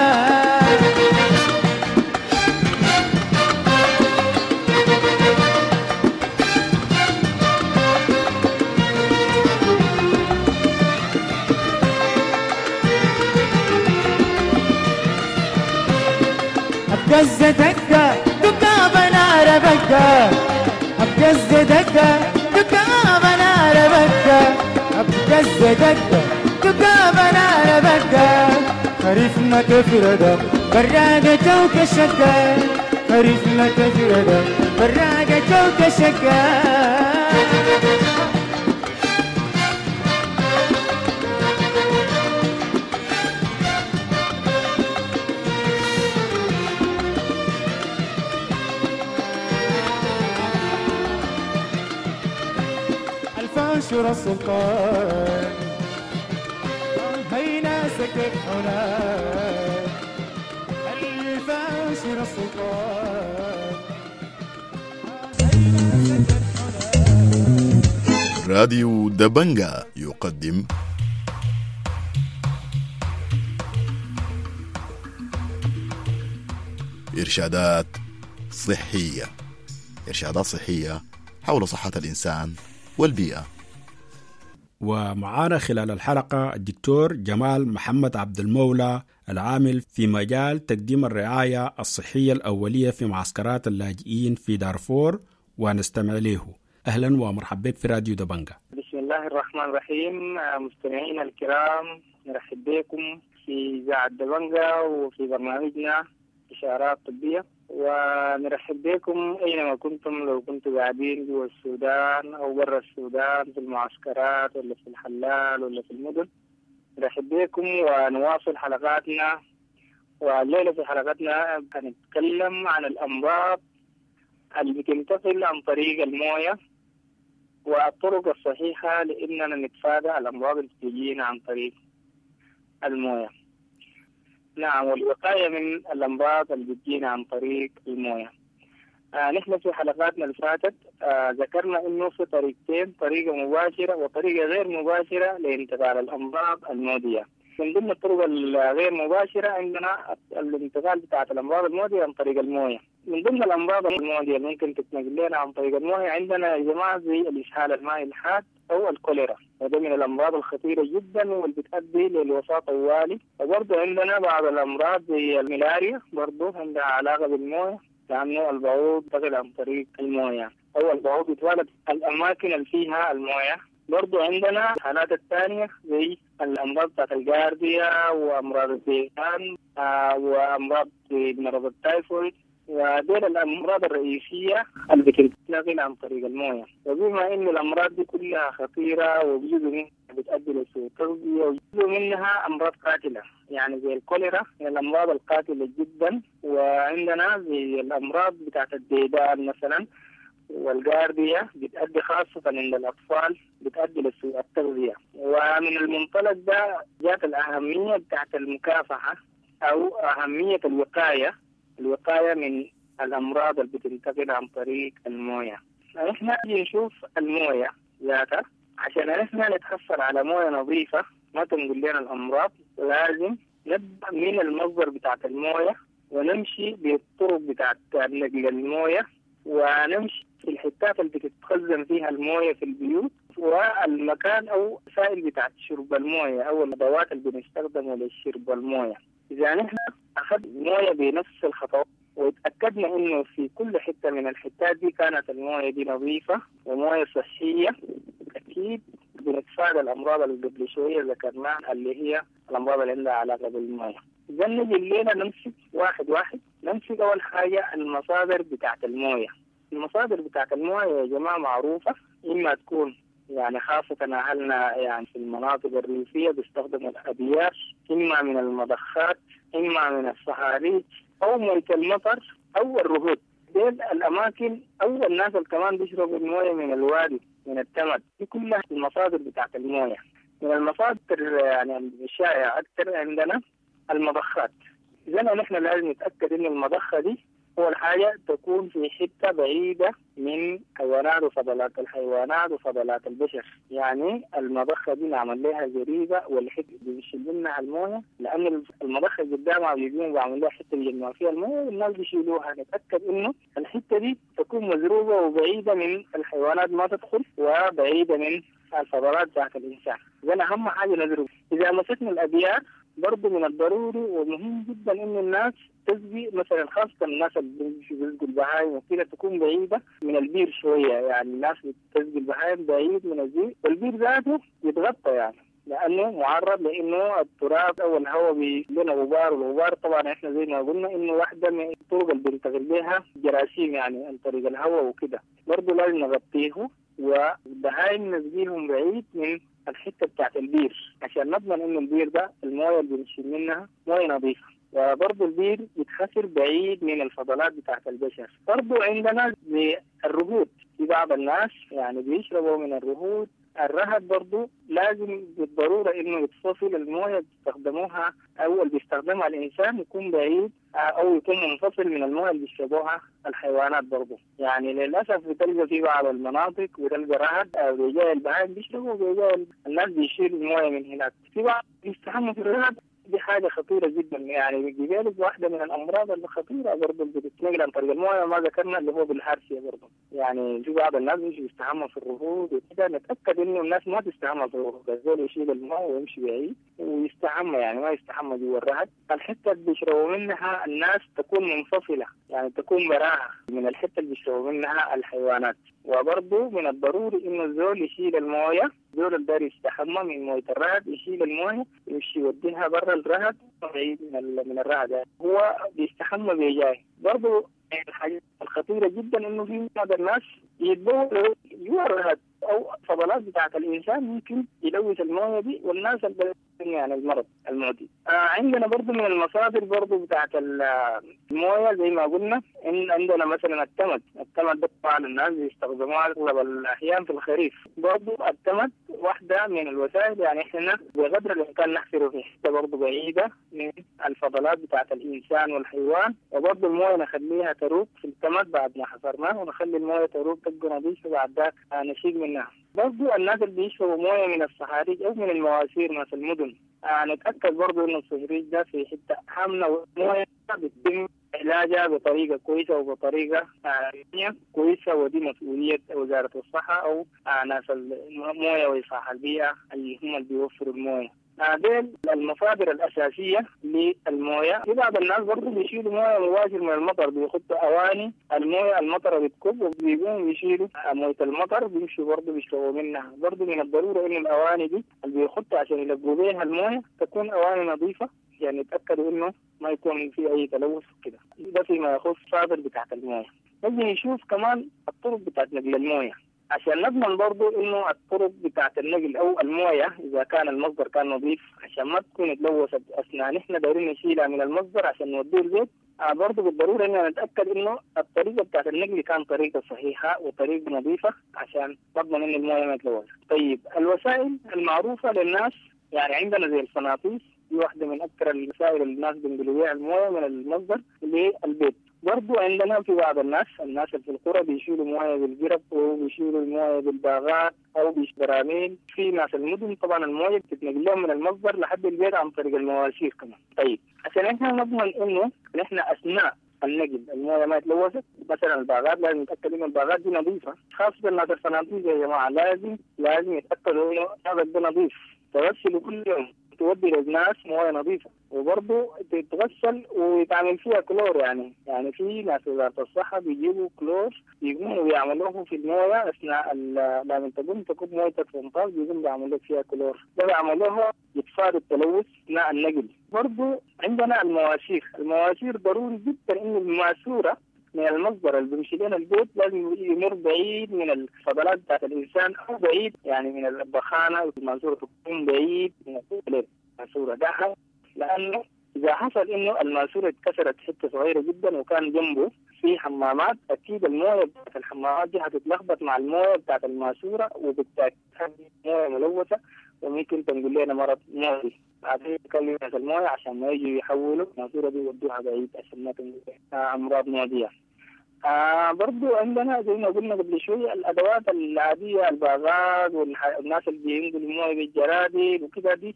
أبقز دقة دقابة نار بقة أبقز دقة دقابة نار بقة أبقز دقة دقابة نار بقة خريفنا كفردم براقة جوكة شقة خريفنا كفردم براقة جوكة شقة. الفاشر السلطان هينا سكت هناك الفاشر السلطان. راديو دبنجا يقدم إرشادات صحية، إرشادات صحية حول صحة الإنسان والبيئة. ومعانا خلال الحلقة الدكتور جمال محمد عبد المولى العامل في مجال تقديم الرعاية الصحية الأولية في معسكرات اللاجئين في دارفور، ونستمع له. أهلا ومرحبا بك في راديو دبنجا. بسم الله الرحمن الرحيم. مستمعينا الكرام، نرحب بكم في إذاعة دبنجا وفي برنامجنا إشارات طبية، ونرحب بكم أينما كنتم، لو كنتم قاعدين جوا السودان أو برا السودان في المعسكرات ولا في الحلال ولا في المدن. نرحب بكم ونواصل حلقاتنا. والليلة في حلقتنا هنتكلم عن الأمراض اللي بتنتقل عن طريق الموية والطرق الصحيحة لأننا نتفادى الأمراض اللي بتجينا عن طريق الموية. نعم، والوقاية من الأمراض اللي بتجينا عن طريق الموية. آه نحن في حلقاتنا اللي فاتت آه ذكرنا إنه في طريقتين، طريقة مباشرة وطريقة غير مباشرة لانتقال الأمراض المعدية. من ضمن الطرق الغير مباشرة عندنا الانتقال بتاعة الأمراض المعدية عن طريق الموية. من ضمن الأمراض المعدية اللي ممكن تتنقل لنا عن طريق الموية عندنا يا جماعة زي الإسهال المائي الحاد أو الكوليرا، وده من الأمراض الخطيرة جدا واللي بتؤدي للوفاة طوالي. وبرضه عندنا بعض الأمراض زي الملاريا، برضه عندها علاقة بالموية، لأنه البعوض ينتقل عن طريق الموية أو البعوض يتوالد الأماكن اللي فيها الموية. برضو عندنا الحالات الثانية زي الأمراض بتاعت الجارديا وأمراض الديدان آه وأمراض مرض التايفويد، ودول الأمراض الرئيسية اللي بتنتقل عن طريق الموية. وبما إن الأمراض دي كلها خطيرة وجزء منها بتؤدي لسوء التغذية وجزء منها أمراض قاتلة، يعني زي الكوليرا من الأمراض القاتلة جدا، وعندنا زي الأمراض بتاعت الديدان مثلا والجارديا بتأدي خاصة عند الأطفال بتأدي لسوء التغذية. ومن المنطلق ده جات الأهمية بتاعت المكافحة أو أهمية الوقاية، الوقاية من الأمراض اللي بتنتقل عن طريق الموية. نحن نشوف الموية ذاتها عشان نحن نتحصل على موية نظيفة ما تنقل لنا الأمراض، لازم نبدأ من المصدر بتاعت الموية ونمشي بالطرق بتاعت نقل الموية ونمشي في الحتات اللي بتتخزن فيها الموية في البيوت والمكان أو سائل بتاعت شرب الموية أو الأدوات اللي بنستخدمها لشرب الموية. إذا نحن أخذ الموية بنفس الخطوات وتأكدنا إنه في كل حتة من الحتات دي كانت الموية دي نظيفة وموية صحية، أكيد بنتفادى الأمراض اللي قبل شوية ذكرناها اللي هي الأمراض اللي عندها علاقة بالموية. إذا نجي الليلة نمسك واحد واحد، نمسك أول حاجة المصادر بتاعت الموية. المصادر بتاعت الموية يا جماعة معروفة، إما تكون يعني خاصة أهلنا يعني في المناطق الريفية بيستخدموا الأبيار، إما من المضخات، إما من الصهاريج أو موية المطر أو الرهود. دي الأماكن أو الناس اللي كمان بيشربوا الموية من الوادي من التمد، دي كلها المصادر بتاعت الموية. من المصادر يعني الشائعة أكثر عندنا المضخات. إذا نحن لازم نتأكد إنه المضخة دي أول حاجة تكون في حتة بعيدة من حيوانات وفضلات الحيوانات وفضلات البشر. يعني المضخة دي نعمل لها زريبة والحتة بيشيل منها الموية، لأن المضخة قدامها بيجون بيعمل لها حتة بيجمعوا فيها الموية والناس بيشيلوها. نتأكد إنه الحتة دي تكون مزروبة وبعيدة من الحيوانات ما تدخل، وبعيدة من الفضلات بتاعت الإنسان. إذا أهم حاجة نزرب. إذا مسكنا الأبيار برضه من الضروري ومهم جدا إنه الناس تسقي مثلا، خاصة الناس اللي بيسقوا البهايم وكده تكون بعيدة من البير شوية. يعني الناس بتسقي البهايم بعيد من البير، والبير ذاته يتغطى يعني لأنه معرض لأنه التراب أو الهواء بيلنا غبار، والغبار طبعا إحنا زي ما قلنا إنه واحدة من الطرق اللي بنتغل بها جراثيم يعني عن طريق الهواء وكده. برضه لازم نغطيه، والبهايم نسقيهم بعيد من الحتة بتاعت البير عشان نضمن إنه البير ده الموية اللي بنشيل منها موية نظيفة. وبرضه البير يتخسر بعيد من الفضلات بتاعت البشر. برضه عندنا الرهوت، في بعض الناس يعني بيشربوا من الرهوت. الرهد برضه لازم بالضرورة إنه يتفصل الموية بيستخدموها أو اللي بيستخدمها الإنسان يكون بعيد أو يكون منفصل من الموية اللي بيشربوها الحيوانات برضه. يعني للأسف بتلقى في بعض المناطق بتلقى رهد أو بيجاي البهائم بيشربوا وبيجاي الناس بيشيلوا الموية من هناك. في بعض بيستحموا في الرهد، دي حاجة خطيرة جدا. يعني بيجيلك واحدة من الأمراض الخطيرة برضه اللي بتتنقل عن طريق الموية ما ذكرنا اللي هو بالهارسية برضه. يعني في بعض الناس بيجوا يستحموا في الرهود وكده، نتأكد إنه الناس ما تستحمى في الرهود، الزول يشيل الماء ويمشي بعيد ويستحمى، يعني ما يستحمى جوا الرهد. الحتة اللي بيشربوا منها الناس تكون منفصلة، يعني تكون براها من الحتة اللي بيشربوا منها الحيوانات. وبرضه من الضروري إنه الزول يشيل الموية، الزول اللي داير يستحمى من موية الرهد يشيل الموية يمشي يوديها برا الرهد بعيد من من الرهد، يعني هو بيستحمى بيجاي. برضه الحاجة الخطيرة جدا إنه في بعض الناس يتبولوا جوا الرهد أو فضلات بتاعة الإنسان ممكن يلوث الموية دي والناس اللي يعني المرض المعدي. آه عندنا برضو من المصادر برضو بتاعة الموية زي ما قلنا إن عندنا مثلا التمد. التمد ده طبعا الناس بيستخدموها أغلب الأحيان في الخريف. برضو التمد واحدة من الوسائل، يعني إحنا بقدر الإمكان نحفره في حتة برضو بعيدة من الفضلات بتاعة الإنسان والحيوان، وبرضو الموية نخليها تروق في التمد بعد ما حفرناه، ونخلي الموية تروق تبقى نظيفة بعد ذاك نشيل منها. برضو الناس اللي بيشربوا موية من الصهاريج أو من المواسير ناس المدن، آه نتأكد برضو إنه الصهريج ده في حتة حاملة والموية بيتم علاجها بطريقة كويسة وبطريقة آه كويسة، ودي مسؤولية وزارة الصحة أو آه ناس الموية وإصلاح البيئة اللي هم اللي بيوفروا الموية. ديل المصادر الأساسية للموية. في بعض الناس برضو بيشيلوا موية مباشر من المطر، بيحطوا أواني الموية المطر بتكب وبيقوموا بيشيلوا موية المطر بيمشوا برضو بيشربوا منها. برضو من الضرورة إنه الأواني دي اللي بيحطوا عشان يلقوا بيها الموية تكون أواني نظيفة، يعني يتأكدوا إنه ما يكون في أي تلوث كده. ده فيما يخص المصادر بتاعت الموية. نجي نشوف كمان الطرق بتاعت نقل الموية عشان نضمن برضو إنه الطرق بتاعت النقل أو الموية إذا كان المصدر كان نظيف عشان ما تكون تلوثت أثناء نحن دايرين نشيلها من المصدر عشان نوديه البيت. آه برضو بالضرورة إننا نتأكد إنه الطريقة بتاعت النقل كان طريقة صحيحة وطريقة نظيفة عشان نضمن إنه الموية ما تلوث. طيب الوسائل المعروفة للناس يعني عندنا زي الفناطيس، دي واحدة من أكثر الوسائل اللي الناس بينقلوا بيها الموية من المصدر للبيت. برضو عندنا في بعض الناس الناس اللي في القرى بيشيلوا مويه بالجرب وبيشيلوا المويه بالباغات او بالبراميل. في ناس المدن طبعا المويه بتتنقل لهم من المصدر لحد البيت عن طريق المواسير كمان. طيب عشان احنا نضمن انه نحن اثناء النقل المويه ما تلوثت، مثلا الباغات لازم نتاكد انه الباغات دي نظيفه، خاصه الناس الفنادق يا جماعه لازم لازم يتاكدوا انه هذا ده نظيف، تغسلوا كل يوم، تودي للناس مويه نظيفه، وبرضه تتغسل ويتعمل فيها كلور. يعني يعني في ناس وزارة الصحة بيجيبوا كلور بيقوموا بيعملوه في المويه اثناء لما تقوم تكب مويتك في المطار بيقوم بيعملوا لك فيها كلور، ده بيعملوها يتفادى التلوث اثناء النقل. برضه عندنا المواسير، المواسير ضروري جدا انه الماسوره من المصدر اللي بيمشي لنا البيت لازم يمر بعيد من الفضلات بتاعت الانسان او بعيد يعني من البخانه، الماسوره تكون بعيد من الماسوره ده، لانه اذا حصل انه الماسوره اتكسرت حته صغيره جدا وكان جنبه في حمامات اكيد المويه بتاعت الحمامات دي هتتلخبط مع المويه بتاعت الماسوره وبالتالي مويه ملوثه وممكن تنقل لنا مرض معدي. بعدين نكلم ناس المويه عشان ما يجوا يحولوا الماسورة دي يودوها بعيد عشان ما تنقل امراض معدية. آه برضو عندنا زي ما قلنا قبل شوية الأدوات العادية، الباغات والناس اللي بينقلوا الموية بالجرادل وكده، دي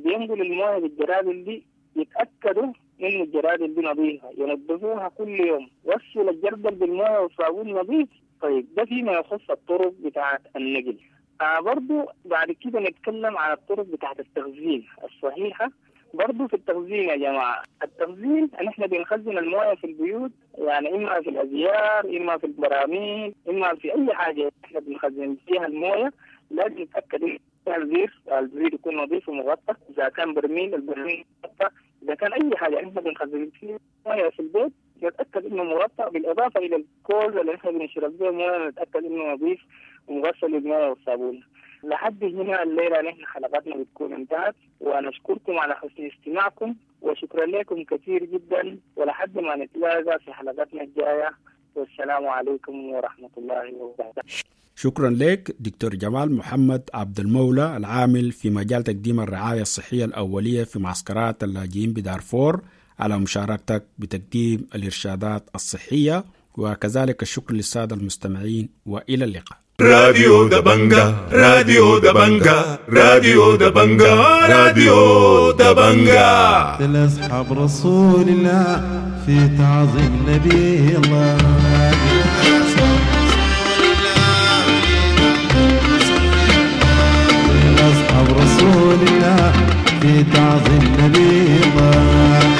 بينقلوا الموية بالجرادل دي يتأكدوا إنه الجرادل دي نظيفة، ينظفوها كل يوم، غسل الجردل بالموية والصابون نظيف. طيب ده فيما يخص الطرق بتاعة النقل. آه برضو بعد كده نتكلم عن الطرق بتاعة التخزين الصحيحة. برضو في التخزين يا جماعة، التخزين نحن بنخزن الموية في البيوت، يعني إما في الأزيار، إما في البراميل، إما في أي حاجة نحن بنخزن فيها الموية. لازم نتأكد إن الزير الزير يكون نظيف ومغطى، إذا كان برميل البرميل مغطى، إذا كان أي حاجة نحن بنخزن فيها موية في البيت نتأكد إنه مغطى، بالإضافة إلى الكوز اللي نحن بنشرب به موية نتأكد إنه نظيف ومغسل بالموية والصابون. لحد هنا الليلة نحن حلقتنا بتكون انتهت، ونشكركم على حسن استماعكم وشكرا لكم كثير جدا، ولحد ما نتلاقى في حلقتنا الجاية، والسلام عليكم ورحمة الله وبركاته. شكرا لك دكتور جمال محمد عبد المولى، العامل في مجال تقديم الرعاية الصحية الأولية في معسكرات اللاجئين بدارفور، على مشاركتك بتقديم الإرشادات الصحية، وكذلك الشكر للسادة المستمعين، وإلى اللقاء. راديو دبنجا، راديو دبنجا، راديو دبنجا، راديو دبنجا. لأصحاب رسول الله في تعظيم نبي الله. لأصحاب رسول الله في تعظيم نبي الله.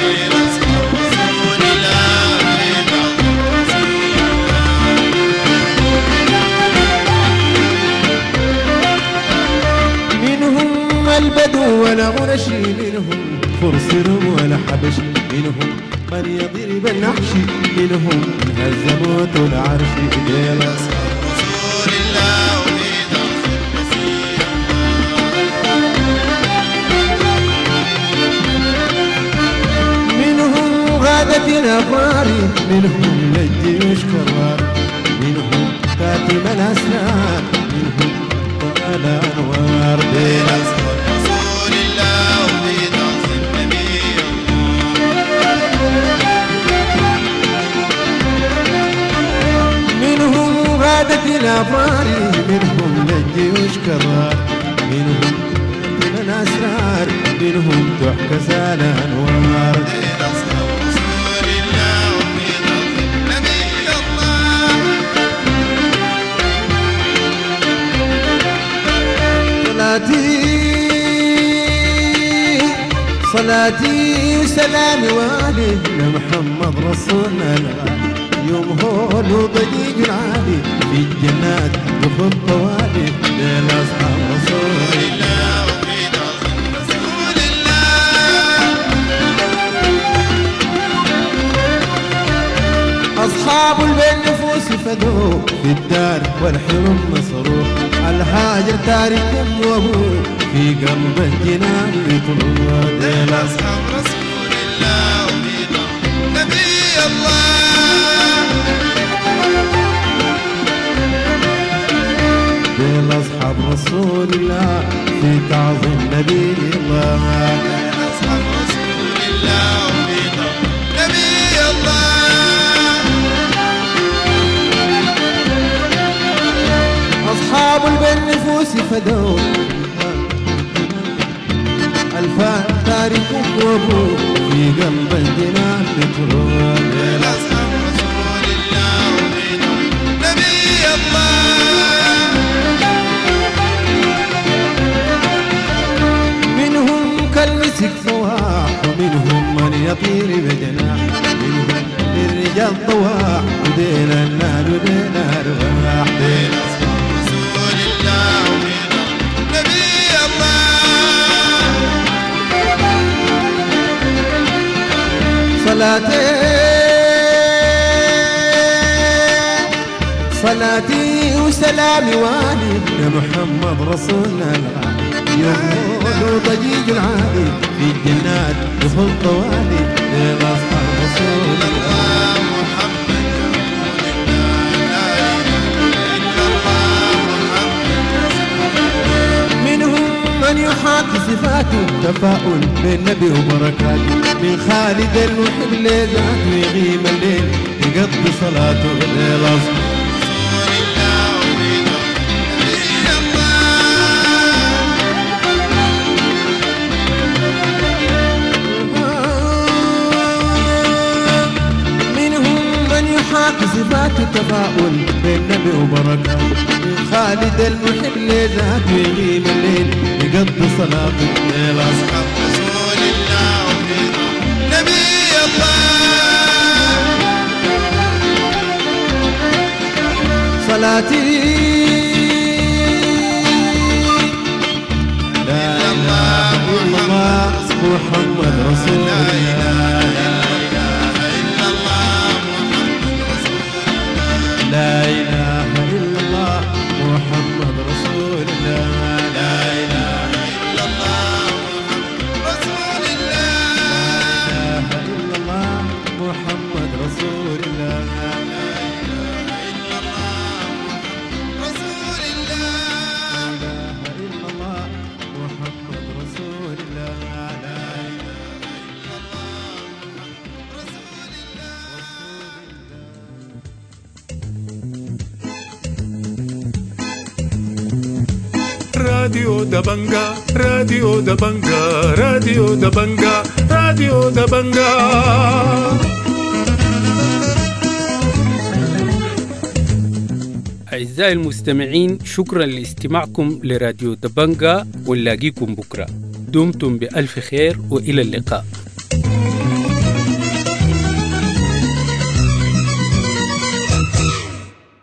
البدو ولا غنشي منهم فرس ولا حبش، منهم من يضرب النحش، منهم هزموت العرش. ديل أصحاب رسول الله وفي تعظيم نبي منهم غادة الأبرار، منهم للجيوش كرار، منهم كاتم الأسرار، منهم طال أنوار. ديل أصحاب رسول الله وفي تعظيم نبي منهم غادة الأبرار، منهم للجيوش كرار، منهم كاتم الأسرار، منهم تحكى الأنوار. ديل أصحاب رسول الله وفي تعظيم نبي الله. صلاتي صلاتي وسلامي والي لمحمد رسولنا الغالي، يوم هول وضجيج العالي في الجنات دخل طوالي. ليل أصحاب رسول الله وفي تعظيم رسول الله. أصحاب البين نفوس فدوه في الدار والحرم مسروح، الهاجر تارك وابوه في قلب الجنان يطلوه. ديل أصحاب رسول الله وفي تعظيم نبي الله. ديل أصحاب رسول الله في تعظيم نبي الله. ديل أصحاب رسول الله وفي تعظيم نبي الله. أصحاب البين نفوس فدوا الفان تارك وابوه في قلب الجنان بتروح. ديل أصحاب رسول الله وفي تعظيم نبي الله. منهم كالمسك فواح، ومنهم من يطير بجناح، منهم للرجال طواح، وديل النار وديل الأرواح. ديل أصحاب رسول الله وفي تعظيم نبي الله. صلاتي صلاتي وسلامي والي لمحمد رسولنا الغالي، يوم وضجيج العالي في الجنات دخل طوالي. ليل أصحاب رسول الله محمد رسول الله، لا إله إلا الله محمد رسول الله. منهم من يحب صفاته تفاؤل بالنبي وبركاته من خالد المحب لذاته يغيم الليل يقضي صلاته للأصحاب صفات التفاؤل بالنبي وبركاته من خالد المحب لذاته يغيب الليل يقضي صلاته الليل أصحاب رسول الله نبي الله صلاتي لا إله إلا الله محمد رسول الله لا إله إلا الله محمد رسول الله لا إله إلا الله محمد رسول الله لا إله إلا الله محمد رسول الله لا إله إلا الله محمد رسول الله لا إله إلا الله محمد رسول الله لا إله إلا الله محمد رسول الله. راديو دبنجا راديو دبنجا راديو دبنجا راديو دبنجا. أعزائي المستمعين، شكرا لاستماعكم لراديو دبنجا، ونلاقيكم بكرة. دمتم بألف خير وإلى اللقاء.